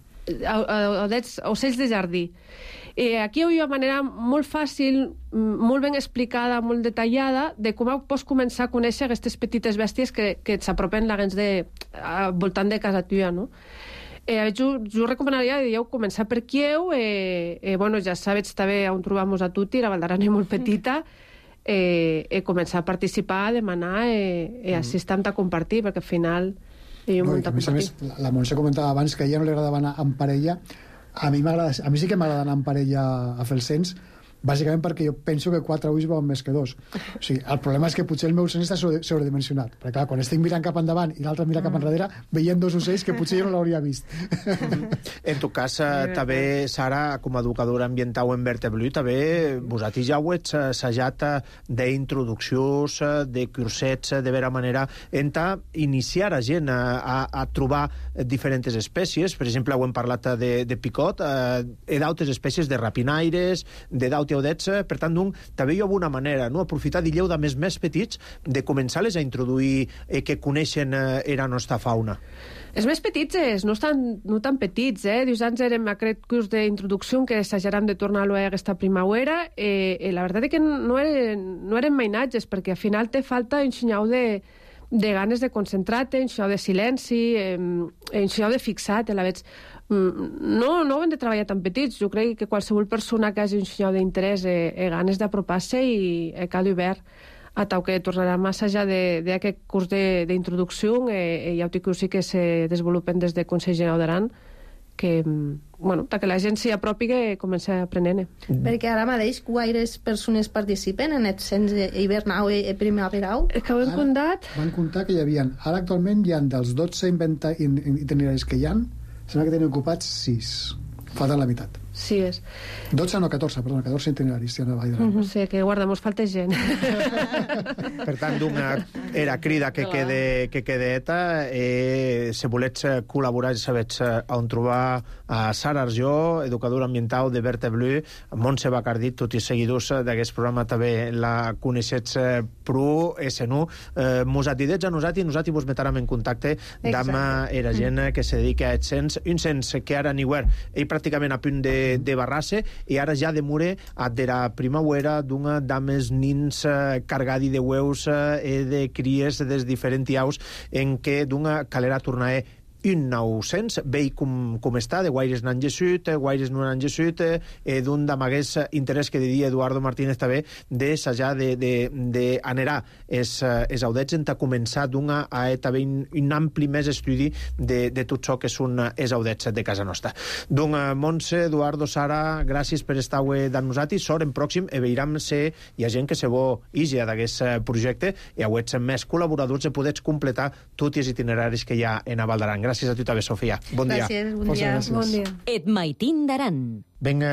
Ocells de jardí. Eh, aquí hi ha una manera molt fàcil, molt ben explicada, molt detallada, de com pots començar a conèixer aquestes petites bèsties que, que s'apropen la gens de, al voltant de casa tua, no? Eh, jo, jo recomanaria, diríeu, començar per Quieu, eh, eh, bueno, ja sabets també on trobam-nos a tutti, la Val d'Aran és molt petita, eh, eh, començar a participar, a demanar, eh, eh, així estem a compartir, perquè al final hi ha un no, munt a compartir. A més, la, la Montse comentava abans que a ella no li agradava anar en parella. A mi, a mi sí que m'agrada anar en parella a fer el cens, bàsicament perquè jo penso que quatre ulls veuen més que dos. O sigui, el problema és que potser el meu seny està sobre- sobredimensionat, perquè clar, quan estic mirant cap endavant i l'altre mira cap enrere, veiem dos ocells que potser jo no l'hauria vist. En tu cas, eh, també, Sara, com a educadora ambiental en Verteblu, també vosaltres ja ho ets assajat eh, d'introduccions, eh, de cursets, eh, de vera manera, en ta iniciar a gent a, a, a trobar diferents espècies. Per exemple, ho hem parlat de, de picot, eh, e d'altres espècies de rapinaires, de d'autes audets, per tant, un, també hi ha una manera, no? Aprofitar d'illeu de més més petits, de començar-les a introduir eh, que coneixen eh, era nostra fauna. Els més petits és, no, estan, no tan petits, eh? Dius, anys érem aquest curs d'introducció que assajarem de tornar-lo a aquesta primavera, eh, eh, la veritat és que no eren, no eren mainatges, perquè al final te falta un xinyau de, de ganes de concentrar-te, un xinyau de silenci, eh, un xinyau de fixar-te, la veig. No, no ho hem de treballar tan petits. Jo crec que qualsevol persona que hagi un xinyau d'interès i eh, eh, ganes d'apropar-se i eh, cal obert a tau que tornarà a assajar d'aquest curs d'introducció eh, i autocursi que se desenvolupen des del Consell General d'Aran, que, bueno, que la gent s'hi apropi i comença a aprenent. Perquè ara mateix quaires persones participen en el cens hivernau i primaverau? És que ho hem comptat? Van comptar que hi havia, ara actualment hi ha dels dotze inventa- in- itineraris que hi ha, sembla que tenen ocupats sis. Falten la meitat. Sí, és. dotze, no, catorze, perdona, catorze itineraris hi ha a Vall d'Aran. O sigui, que guarda, mos falta gent. Per tant, d'una era crida que quede, que quede eta, eh, si volets col·laborar, ja sabets on trobar a Sara Arjó, educadora ambiental de Verteblu, Montse Bacardit, tots els seguidors d'aquest programa també la coneixets pro S N U. Eh, mos atidets a nosaltres i nosaltres vos metarem en contacte amb era gent que se dedica a aquest cens, un cens que ara ni ell pràcticament a punt de de barrar-se, i ara ja de mure a de la primavera d'una dames nins eh, cargadi de hueus eh, e de cries des diferents aus en què d'una calera tornar un nou cens, vei com, com està, de guaires n'han gessut, guaires no n'han gessut, eh, d'un d'amagués interès que diria Eduardo Martínez també, d'assajar de, de, de anerar es, es audets en ta començar d'una a també un, un ampli més estudi de, de tot això que són els audets de casa nostra. Doncs, Montse, Eduardo, Sara, gràcies per estar avui amb nosaltres, sort en pròxim, e veiram si hi ha gent que se vol ija d'aquest projecte i auets més col·laboradors i podets completar tots els itineraris que hi ha en a Val d'Aran. Gràcies a tu també, Sofia. Bon dia. Gràcies, bon dia. Bon dia. Et maitin d'aran. Vinga,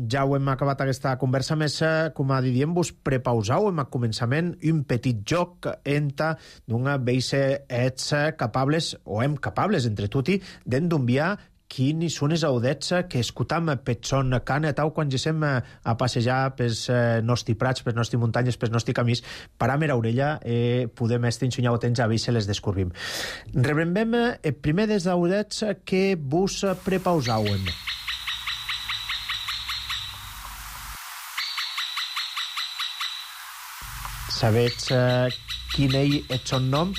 ja ho hem acabat aquesta conversa, més, com a diem-vos, prepausau en el començament un petit joc enta d'una veise ets capables, o hem capables entre tutti, d'enviar quins són els audets que escutam per son cana tau quan gesem a passejar pels nostres prats, pels nostres muntanyes, pels nostres camins, param era orella i podem estar ensenyar temps a veure si les descobrim. Rebrem el primer dels audets que vos prepausauem. Sabets quin ell és son nom?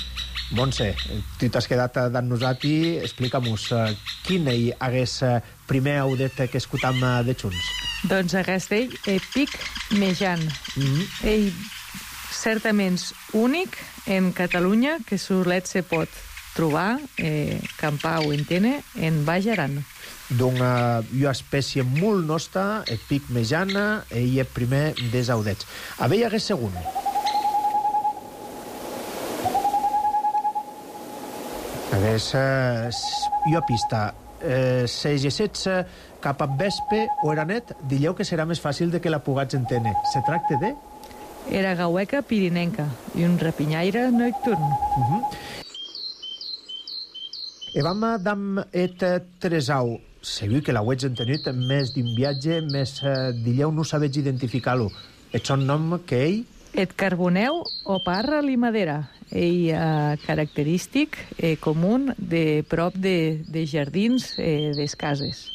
Montse, tu t'has quedat amb nosaltres, explica'm-nos quin ell hagués primer audet que escutam de Junts. Doncs aquest ell és Pic Mejan. Mm -hmm. Ell certament únic en Catalunya, que solet se pot trobar, eh, campar o entene, en Baix Aran. D'una una espècie molt nostra, el Pic Mejana, ell és primer dels audets. A veure, hagués segon. Hagués eh, jo pista. Eh, se gessets eh, cap a vespe o era net, dilleu que serà més fàcil de que la pugats entene. Se tracta de? Era gaueca pirinenca i un rapinyaire nocturn. Uh -huh. E vam dam et tresau. Segur que l'auets entenut més d'un viatge, més eh, dilleu no sabets identificar-lo. Et son nom que ell? Et carboneu o parra limadera. Ell eh, característic eh, comú de prop de, de jardins eh, des cases.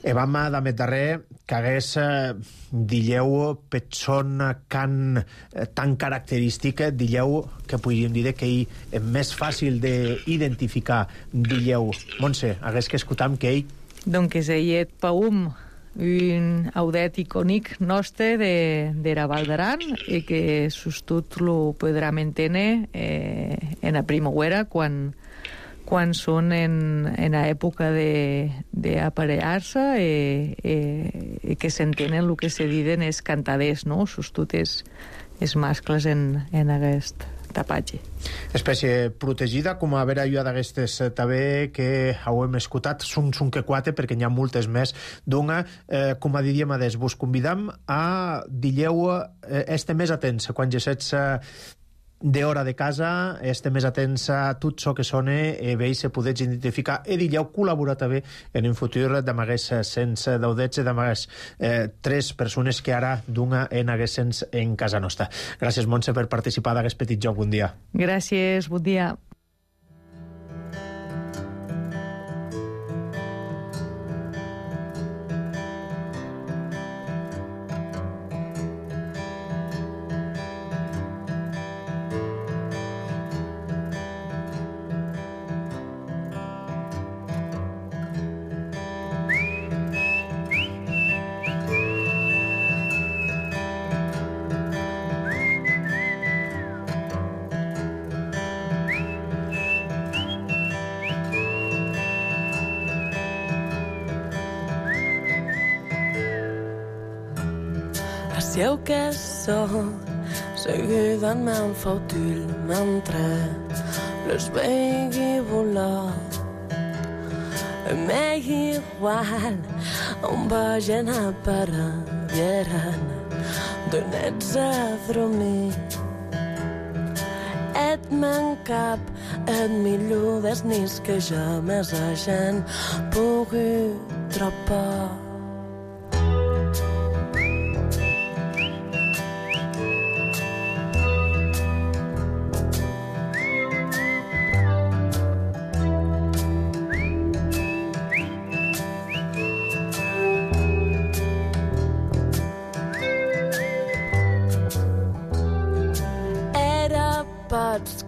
E vam damet darrer que hagués, eh, dilleu, petson can eh, tan característic, dilleu que podríem dir que ell és més fàcil d'identificar, dilleu. Montse, hagués que escutam que ell... Donc ell et paum, un audet icònic nostre de, de la Val d'Aran i que sostut lo podrem entendre eh, en la primavera quan, quan són en, en l'època d'aparellar-se i eh, eh, que s'entenen el que se diuen els cantaders, no? Sostut els, els mascles en, en aquest tapatge. Espècie protegida, com a vera jo d'aquestes també que ho hem escoltat, són un que quatre, perquè n'hi ha moltes més. Dona, eh, com a diríem adés, vos convidam a dilleu eh, este més atents quan gesets eh, d'hora de casa, este més atents a tot això que sona i veus se podets identificar i dilleu col·laborar també en un futur d'amagues sense daudets i d'amagues eh, tres persones que ara d'una en haguessens en casa nostra. Gràcies, Montse, per participar d'aquest petit joc. Bon dia. Gràcies, bon dia. Sieu que sóc seguida en meu fautil mentre les vegi volar. M'és igual on vagin a parar, vieran de nets a dormir. Et m'encap, et millor des nis que ja més a gent pugui tropar.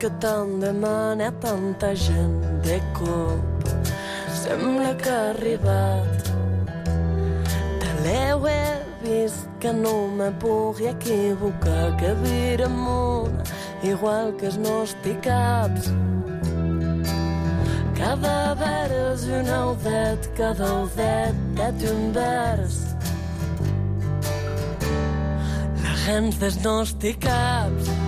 Que tant demana tanta gent de cop. Sembla que ha arribat. Te l'heu he vist, que no me pugui equivocar, que vira amunt, igual que els nostres caps. Cada vers un audet, cada audet és un vers. La gent dels nostres caps.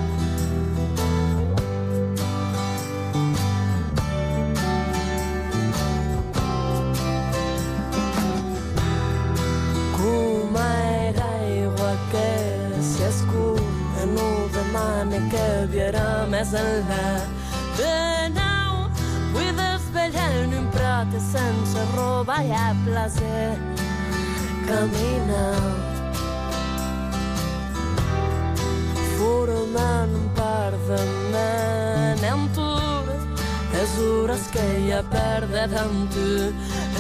Que viurà més enllà de nou. Vull desvetllar en un prat sense roba i a placer caminar, formant un par de menentura, les hores que ja perdet amb tu.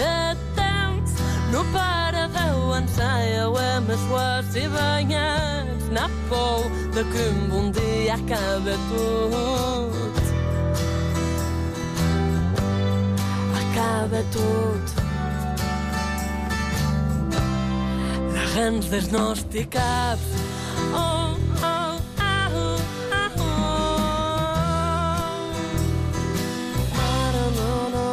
El temps no para d'avançar i ho hem esguardat i banyats. N'ha por de que un bon dia acabe tot. Acabe tot. La gent dels nostres caps. Oh, oh, oh, oh, oh. Ara no, no.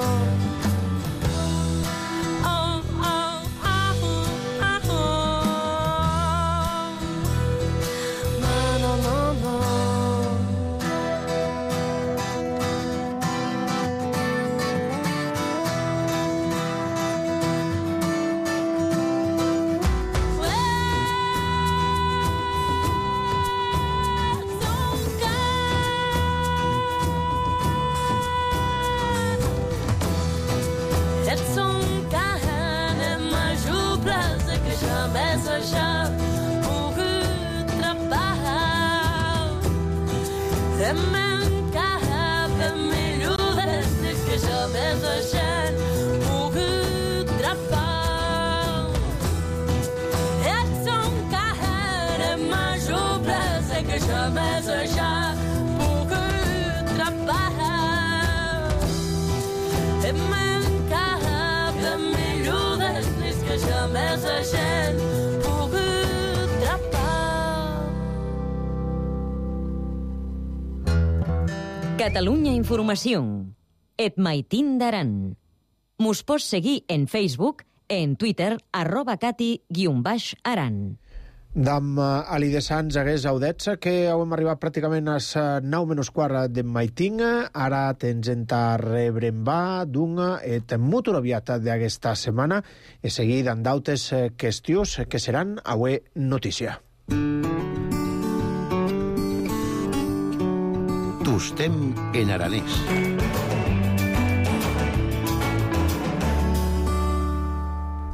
Oh, oh, oh, oh, oh. Catalunya Informació. et maitin d'aran. Mos pots seguir en Facebook, en Twitter, arroba cati guion baix aran. Dam Ali de Sants hagués audets que hem arribat pràcticament a nou menys quart de maitin. Ara tens enta rebrembar d'un et molt aviat d'aquesta setmana i seguir amb d'altres qüestions que seran avui notícia. Tostem en aranès.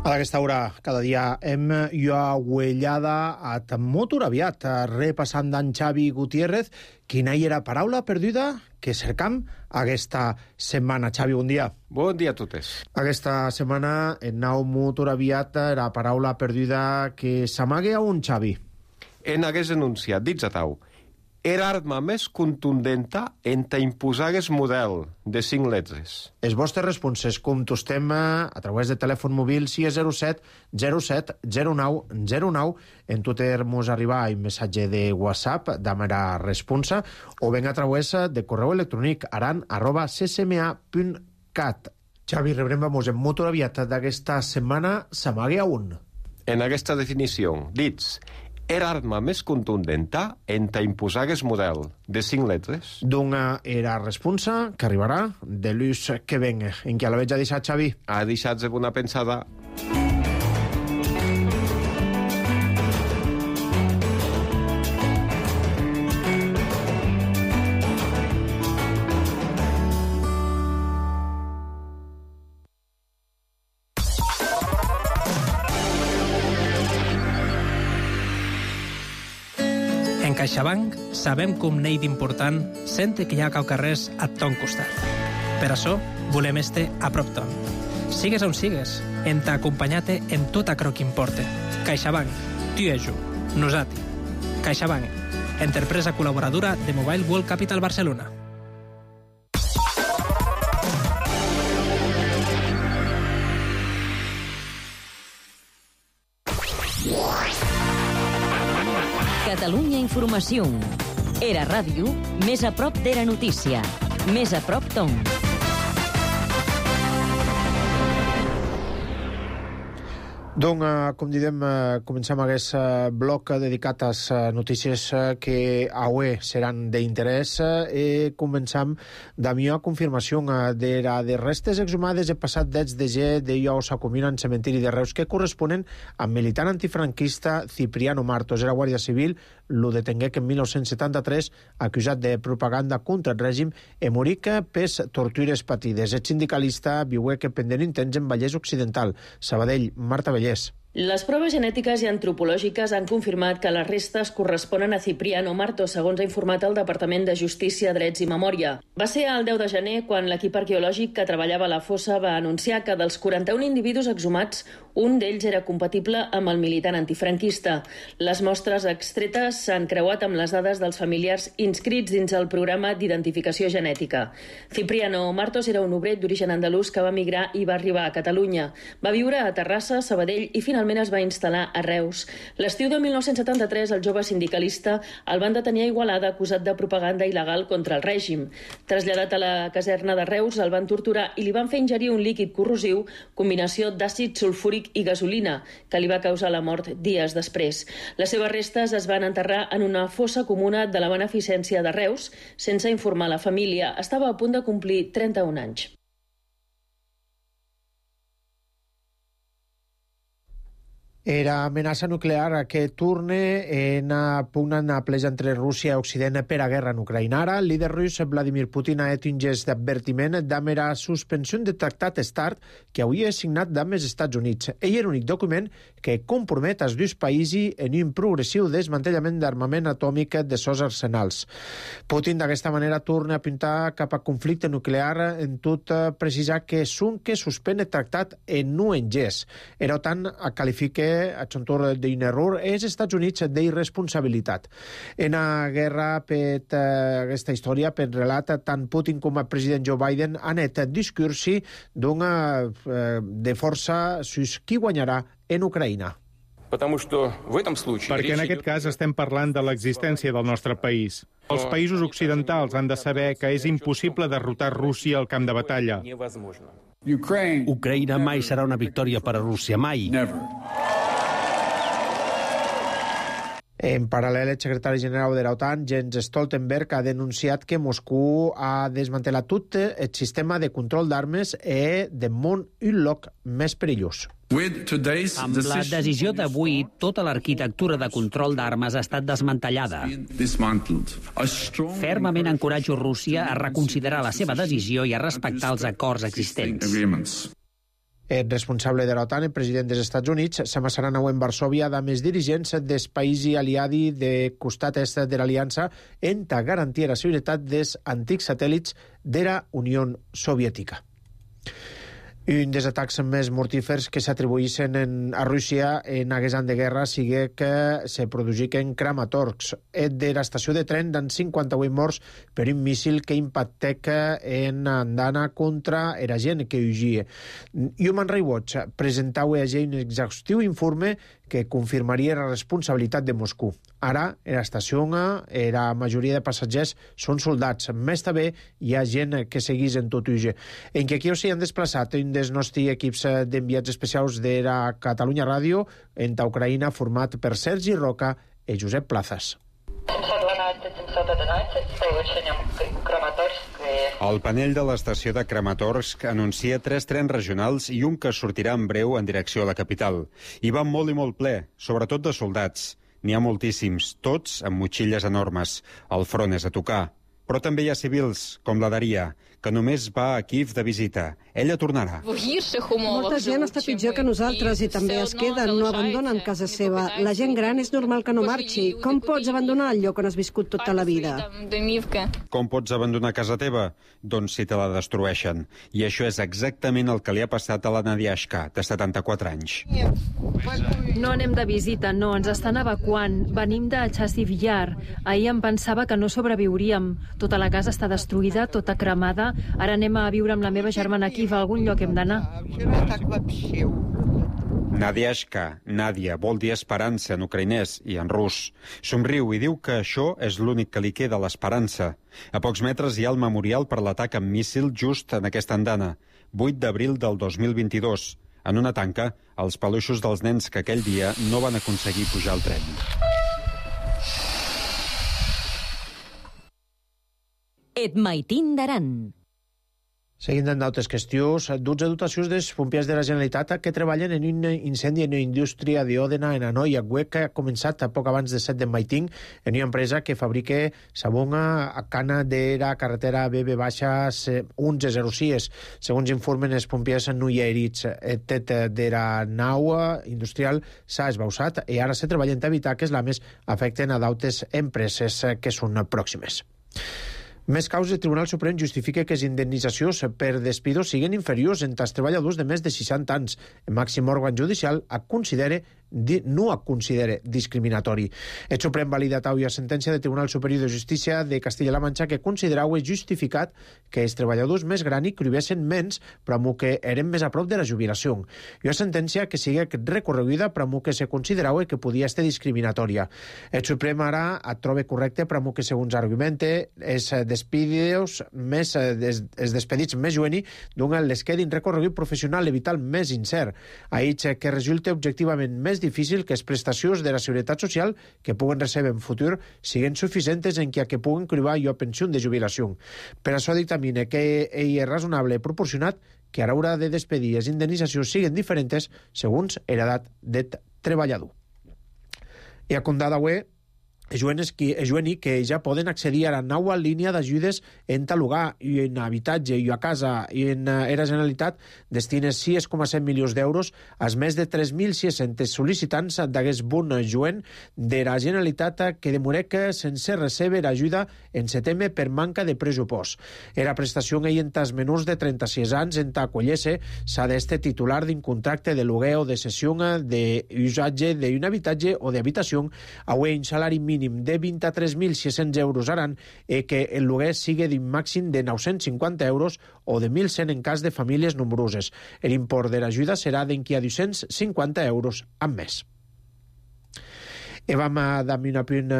A aquesta hora, cada dia, hem lloaguellada a molt aviat, repassant d'en Xavi Gutiérrez, quina hi era paraula perduda que cercam aquesta setmana. Xavi, bon dia. Bon dia a totes. Aquesta setmana, en nau molt aviat, la paraula perduda que s'amague a un, Xavi. En hagués enunciat, dits a tau, era arma més contundenta en ta imposar el model de cinc letres. Els vostres responses contestem a través de telèfon mòbil sis zero set zero set zero nou zero nou. En Twitter mos arriba un missatge de WhatsApp de mera responsa o ben a través de correu electrònic aran arroba c c m a punt cat. Xavi, rebrem-vos en molt aviat d'aquesta setmana s'amague a un. En aquesta definició, dits, era arma més contundenta en ta imposar el model de cinc letres. D'una era responsa que arribarà de l'ús que ven. En què la veig a deixar, Xavi? Ha deixat de bona pensada. CaixaBank sabem com n'hi d'important sent que hi ha caucarrers a ton costat. Per això volem este a prop ton. Sigues on sigues, en t'acompanyar-te en tot acro que importa. CaixaBank, tu i jo, nosati. CaixaBank, empresa col·laboradora de Mobile World Capital Barcelona. Catalunya Informació. Era ràdio, més a prop d'era notícia. Més a prop ton. Doncs, com diem, comencem aquest bloc dedicat a les notícies que avui seran d'interès i comencem d'amió a confirmació de la de restes exhumades el passat deu de gener de Ios a Comina en cementiri de Reus que corresponen al militant antifranquista Cipriano Martos. Era guàrdia civil, lo detengué en mil nou-cents setanta-tres acusat de propaganda contra el règim i morí pes tortures patides. El sindicalista viué que pendent intents en Vallès Occidental. Sabadell, Marta Vallès. Les proves genètiques i antropològiques han confirmat que les restes corresponen a Cipriano Martos, segons ha informat el Departament de Justícia, Drets i Memòria. Va ser el deu de gener quan l'equip arqueològic que treballava a la fossa va anunciar que dels quaranta-un individus exhumats, un d'ells era compatible amb el militant antifranquista. Les mostres extretes s'han creuat amb les dades dels familiars inscrits dins el programa d'identificació genètica. Cipriano Martos era un obrer d'origen andalús que va migrar i va arribar a Catalunya. Va viure a Terrassa, Sabadell i finalment es va instal·lar a Reus. L'estiu de mil nou-cents setanta-tres, el jove sindicalista el van detenir a Igualada acusat de propaganda il·legal contra el règim. Traslladat a la caserna de Reus, el van torturar i li van fer ingerir un líquid corrosiu, combinació d'àcid sulfúric i gasolina, que li va causar la mort dies després. Les seves restes es van enterrar en una fossa comuna de la Beneficència de Reus, sense informar la família. Estava a punt de complir trenta-un anys. Era amenaça nuclear que torna en pugna en pleja entre Rússia i Occident per a guerra en Ucraïna. Ara, el líder rus Vladimir Putin ha fet un gest d'advertiment amb la suspensió de tractat START que havia signat amb els Estats Units. Ell era l'únic document que compromet els dos països en un progressiu desmantellament d'armament atòmic de sos arsenals. Putin d'aquesta manera torna a apuntar cap a conflicte nuclear en tot precisar que són que suspèn el tractat en no en gest. Era tant a qualificar a xontor d'un error els Estats Units d'irresponsabilitat. En la guerra per aquesta història, per relat, tant Putin com el president Joe Biden han fet discursi d'una de força sus qui guanyarà en Ucraïna. Perquè en aquest cas estem parlant de l'existència del nostre país. Els països occidentals han de saber que és impossible derrotar Rússia al camp de batalla. Ucraïna mai serà una victòria per a Rússia, mai. En paral·lel, el secretari general de l'OTAN, Jens Stoltenberg, ha denunciat que Moscou ha desmantellat tot el sistema de control d'armes i de món un lloc més perillós. Amb la decisió d'avui, tota l'arquitectura de control d'armes ha estat desmantellada. Fermament encoratjo Rússia a reconsiderar la seva decisió i a respectar els acords existents. El responsable de l'OTAN, el president dels Estats Units, s'amassarà nou en Varsòvia amb els dirigents dels països aliats de costat est de l'aliança en ta garantir la seguretat dels antics satèl·lits de la Unió Soviètica. Un dels atacs més mortífers que s'atribuïssin a Rússia en aquest any de guerra sigui que se produïssin Kramatorsk, de l'estació de tren d'en cinquanta-vuit morts per un míssil que impactec en andana contra la gent que hugia. Human Rights Watch presentava ahir un exhaustiu informe que confirmaria la responsabilitat de Moscou. Ara, a l'estació, la majoria de passatgers són soldats. Més també hi ha gent que segueix en tot uge. En què aquí s'hi han desplaçat un dels nostres equips d'enviats especials de la Catalunya Ràdio en ta Ucraïna, format per Sergi Roca i Josep Plazas. El panell de l'estació de Kramatorsk anuncia tres trens regionals i un que sortirà en breu en direcció a la capital. Hi va molt i molt ple, sobretot de soldats. N'hi ha moltíssims, tots amb motxilles enormes. El front és a tocar. Però també hi ha civils, com la Daria, que només va a Kiev de visita. Ella tornarà. Molta gent està pitjor que nosaltres i també es queden, no abandonen casa seva. La gent gran és normal que no marxi. Com pots abandonar el lloc on has viscut tota la vida? Com pots abandonar casa teva? Doncs si te la destrueixen. I això és exactament el que li ha passat a la Nadiashka, de setanta-quatre anys. No anem de visita, no, ens estan evacuant. Venim de Chasiv Yar. Ahir em pensava que no sobreviuríem. Tota la casa està destruïda, tota cremada. Ara anem a viure amb la meva germana aquí, a algun lloc hem d'anar. Nadiashka, Nadia, vol dir esperança en ucraïnès i en rus. Somriu i diu que això és l'únic que li queda, l'esperança. A pocs metres hi ha el memorial per l'atac amb míssil just en aquesta andana, vuit d'abril del dos mil vint-i-dos. En una tanca, els peluixos dels nens que aquell dia no van aconseguir pujar al tren. Et maitin d'Aran. Seguint amb d'altres qüestions, dotze dotacions dels pompiers de la Generalitat que treballen en un incendi en una indústria d'Òdena en Hanoi, a Huec, que ha començat a poc abans de set de Maiting, en una empresa que fabrica sabonga a cana de la carretera B B onze zero sis. Segons informen els pompiers, no hi ha herits. El tet de la nau industrial s'ha esbausat i ara se treballen d'evitar que els lames afecten a d'altres empreses que són pròximes. Més causes, el Tribunal Suprem justifica que les indemnitzacions per despidos siguin inferiors entre els treballadors de més de seixanta anys. El màxim òrgan judicial considera, no el considera discriminatori. El Suprem valida avui la sentència del Tribunal Superior de Justícia de Castilla-La Manxa que considerava justificat que els treballadors més grans cobreixen menys però que eren més a prop de la jubilació. I una sentència que sigui recorreguda però que se considerava que podia ser discriminatòria. El Suprem ara et troba correcte però que, segons argumenta, és despedidos més, des, els despedits més jueni donen les quedin recorregut professional i vital més incert. Ahir que resulta objectivament més difícil que les prestacions de la Seguretat Social que puguen rebre en futur siguin suficients en què que puguen cribar jo pensió de jubilació. Per això dictamina que ell és raonable i proporcionat que a l'hora de despedir les indemnitzacions siguin diferents segons l'edat del treballador. I a condada avui és jueni que ja poden accedir a la nova línia d'ajudes en talugar i en habitatge i a casa i en era Generalitat destina sis coma set milions d'euros als més de tres mil sis-cents sol·licitants d'aquest bon juen de la Generalitat que demorec sense recebre ajuda en setembre per manca de pressupost. Era prestació en els menors de trenta-sis anys en Tacollese s'ha d'este titular d'un contracte de lloguer o de cessió d'usatge d'un habitatge o d'habitació a un salari mínim de vint-i-tres mil sis-cents euros aran i que el lloguer sigui d'un màxim de nou-cents cinquanta euros o de mil cent en cas de famílies nombroses. L'import de l'ajuda serà d'enquia dos-cents cinquanta euros amb més. E vam damb un apunt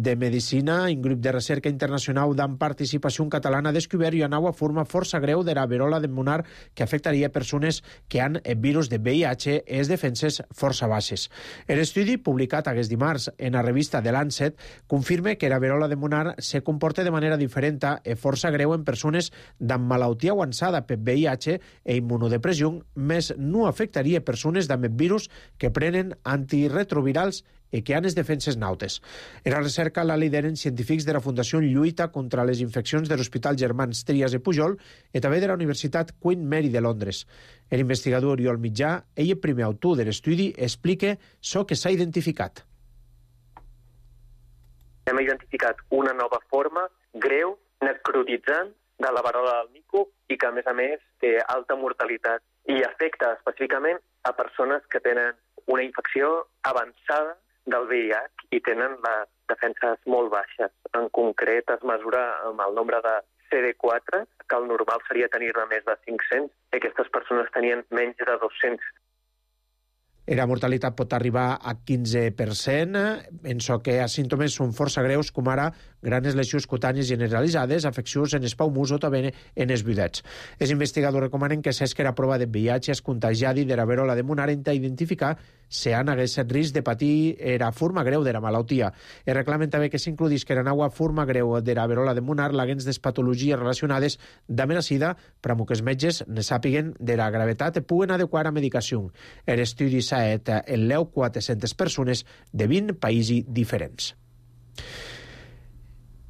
de medicina. Un grup de recerca internacional d'en participació catalana ha descobert i una nova forma força greu de la verola de monar que afectaria persones que han el virus de V I H e les defenses força baixes. L'estudi, publicat aquest dimarts en la revista The Lancet, confirma que la verola de monar se comporta de manera diferent i força greu en persones d'amb malaltia avançada per V I H e immunodepressió, més no afectaria persones d'amb el virus que prenen antirretrovirals i que han les defenses nautes. En la recerca la lideren científics de la Fundació Lluita contra les Infeccions de l'Hospital Germans Trias i Pujol i també de la Universitat Queen Mary de Londres. L'investigador Oriol Mitjà, ell el primer autor de l'estudi, explica això que s'ha identificat. Hem identificat una nova forma greu, necrotitzant, de la verola del mico i que, a més a més, té alta mortalitat i afecta específicament a persones que tenen una infecció avançada del V I H i tenen les defenses molt baixes. En concret, es mesura amb el nombre de C D quatre, que el normal seria tenir-ne més de cinc-cents, i aquestes persones tenien menys de dos-cents. La mortalitat pot arribar a quinze per cent, en so que els símptomes són força greus, com ara grans lesions cutànies generalitzades, afeccions en els paumurs o també en els buidets. Els investigadors recomanen que s'esque la prova de V I H es contagiadi de la verola de monar a identificar si han hagués risc de patir la forma greu de la malaltia. Es reclamen també que s'includís que la nova forma greu de la verola de monar l'haguens de patologies relacionades amb la sida, per que els metges ne sàpiguen de la gravetat i puguen adequar a medicació. L'estudi s'ha fet en l'eu quatre-centes persones de vint països diferents.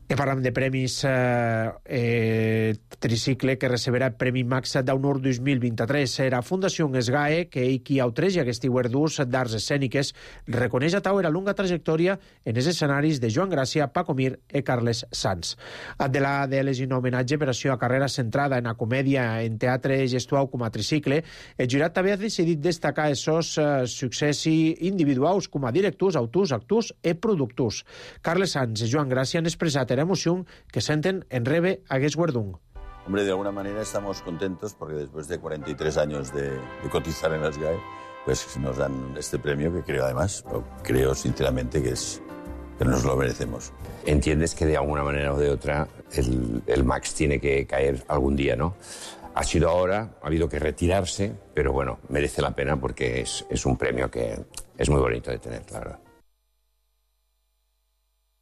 I parlam de premis eh, eh, tricicle que receberà el Premi Max d'Honor dos mil vint-i-tres. La Fundació SGAE, que ell qui autregi aquests guardons d'arts escèniques, reconeix a tau la longa trajectòria en els escenaris de Joan Gràcia, Paco Mir i Carles Sanz. Adela de les un homenatge per a la carrera centrada en la comèdia en teatre gestual com a tricicle, el jurat també ha decidit destacar els seus eh, successos individuals com a directors, autors, actors i productors. Carles Sanz i Joan Gràcia han expressat la emoción que sienten en rebe a guardón. Hombre, de alguna manera estamos contentos porque después de cuarenta y tres años de, de cotizar en las G A E, pues nos dan este premio que creo además, creo sinceramente que es que nos lo merecemos. Entiendes que de alguna manera o de otra el, el Max tiene que caer algún día, ¿no? Ha sido ahora, ha habido que retirarse, pero bueno, merece la pena porque es, es un premio que es muy bonito de tener, la verdad.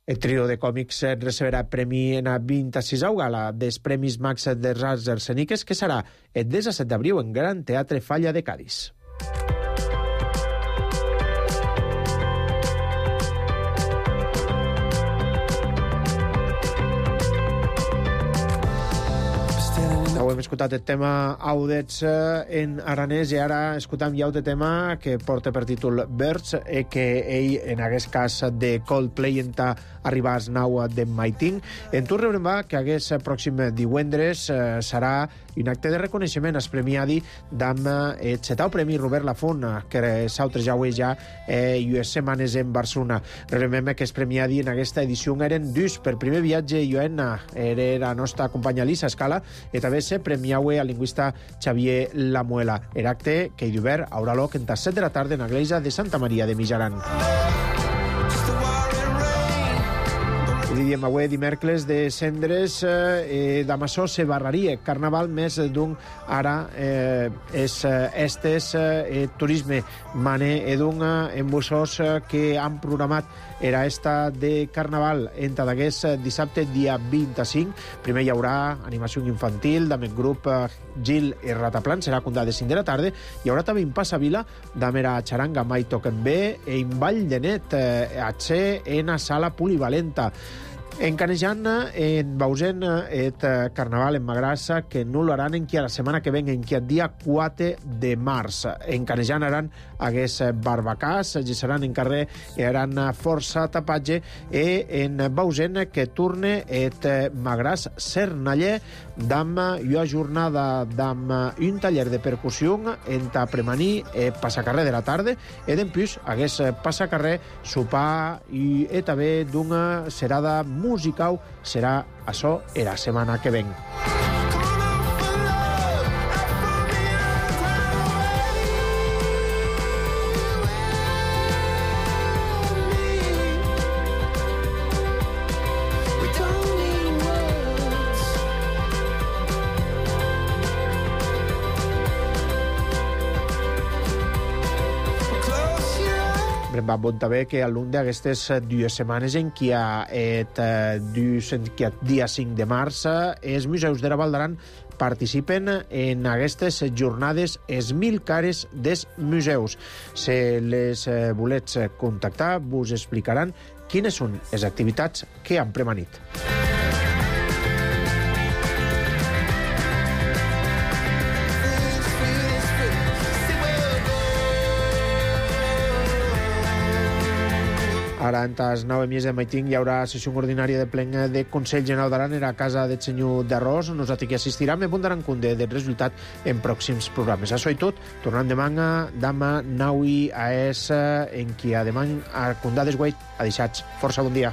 El trio de còmics receberà premi en la vint-i-sisena gala dels Premis Max de Arts Escèniques, que serà el disset d'abril en Gran Teatre Falla de Cadis. Ho hem escoltat el tema Audets en aranès i ara escoltam ja el tema que porta per títol Birds i que ell, en aquest cas de Coldplay, enta arribar al nou de Maiting. En tu rebrem va que aquest pròxim divendres eh, serà un acte de reconeixement als premiadi d'amb el setau Premi Robert Lafont, que s'altres ja ja eh, i les setmanes en Barcelona. Rebrem que els premiadi en aquesta edició eren dus. Per primer viatge i Joanna era la nostra companya Lisa Escala i també se premiaue al lingüista Xavier Lamuela. El acte que hi d'obert haurà lloc entre set de la tarda en l'església de Santa Maria de Mijaran. I diem avui dimecres de cendres eh, d'Amassó se barraria carnaval més d'un ara eh, és estes eh, turisme mane edun en bussos que han programat era esta de carnaval entre d'aquest dissabte dia vint-i-cinc. Primer hi haurà animació infantil amb el grup Gil i Rataplan, serà a de cinc de la tarda. Hi haurà també un passavila amb la xaranga Mai Toquen Bé i un ball de net eh, a ser en la sala polivalenta. En Canejan, en Bausen, et carnaval en Magrassa, que no lo harán en qui a la setmana que ven, en qui el dia quatre de març. En Canejan haran hagués barbacàs, seran en carrer i haran força tapatge, i en Bausen que torne et Magràs Cernaller d'am una jornada d'am un taller de percussió entre premaní i passacarrer de la tarda, i d'empús hagués passacarrer, sopar i, i també d'una serada musical. Serà això la setmana que ven. va bon també que a l'un d'aquestes dues setmanes en què hi ha et dus, en què dia cinc de març, els museus de la Val d'Aran participen en aquestes jornades es mil cares des museus. Si les volets contactar, vos explicaran quines són les activitats que han premanit. Ara, en tas nou mies de maiting, hi haurà sessió ordinària de plen de Consell General d'Aran a casa del senyor d'Arròs. Nosaltres que assistirem i apuntaran compte del resultat en pròxims programes. Això i tot, tornant de manga, dama, naui, a es, en qui a demany, a condades guait, a deixats. Força bon dia.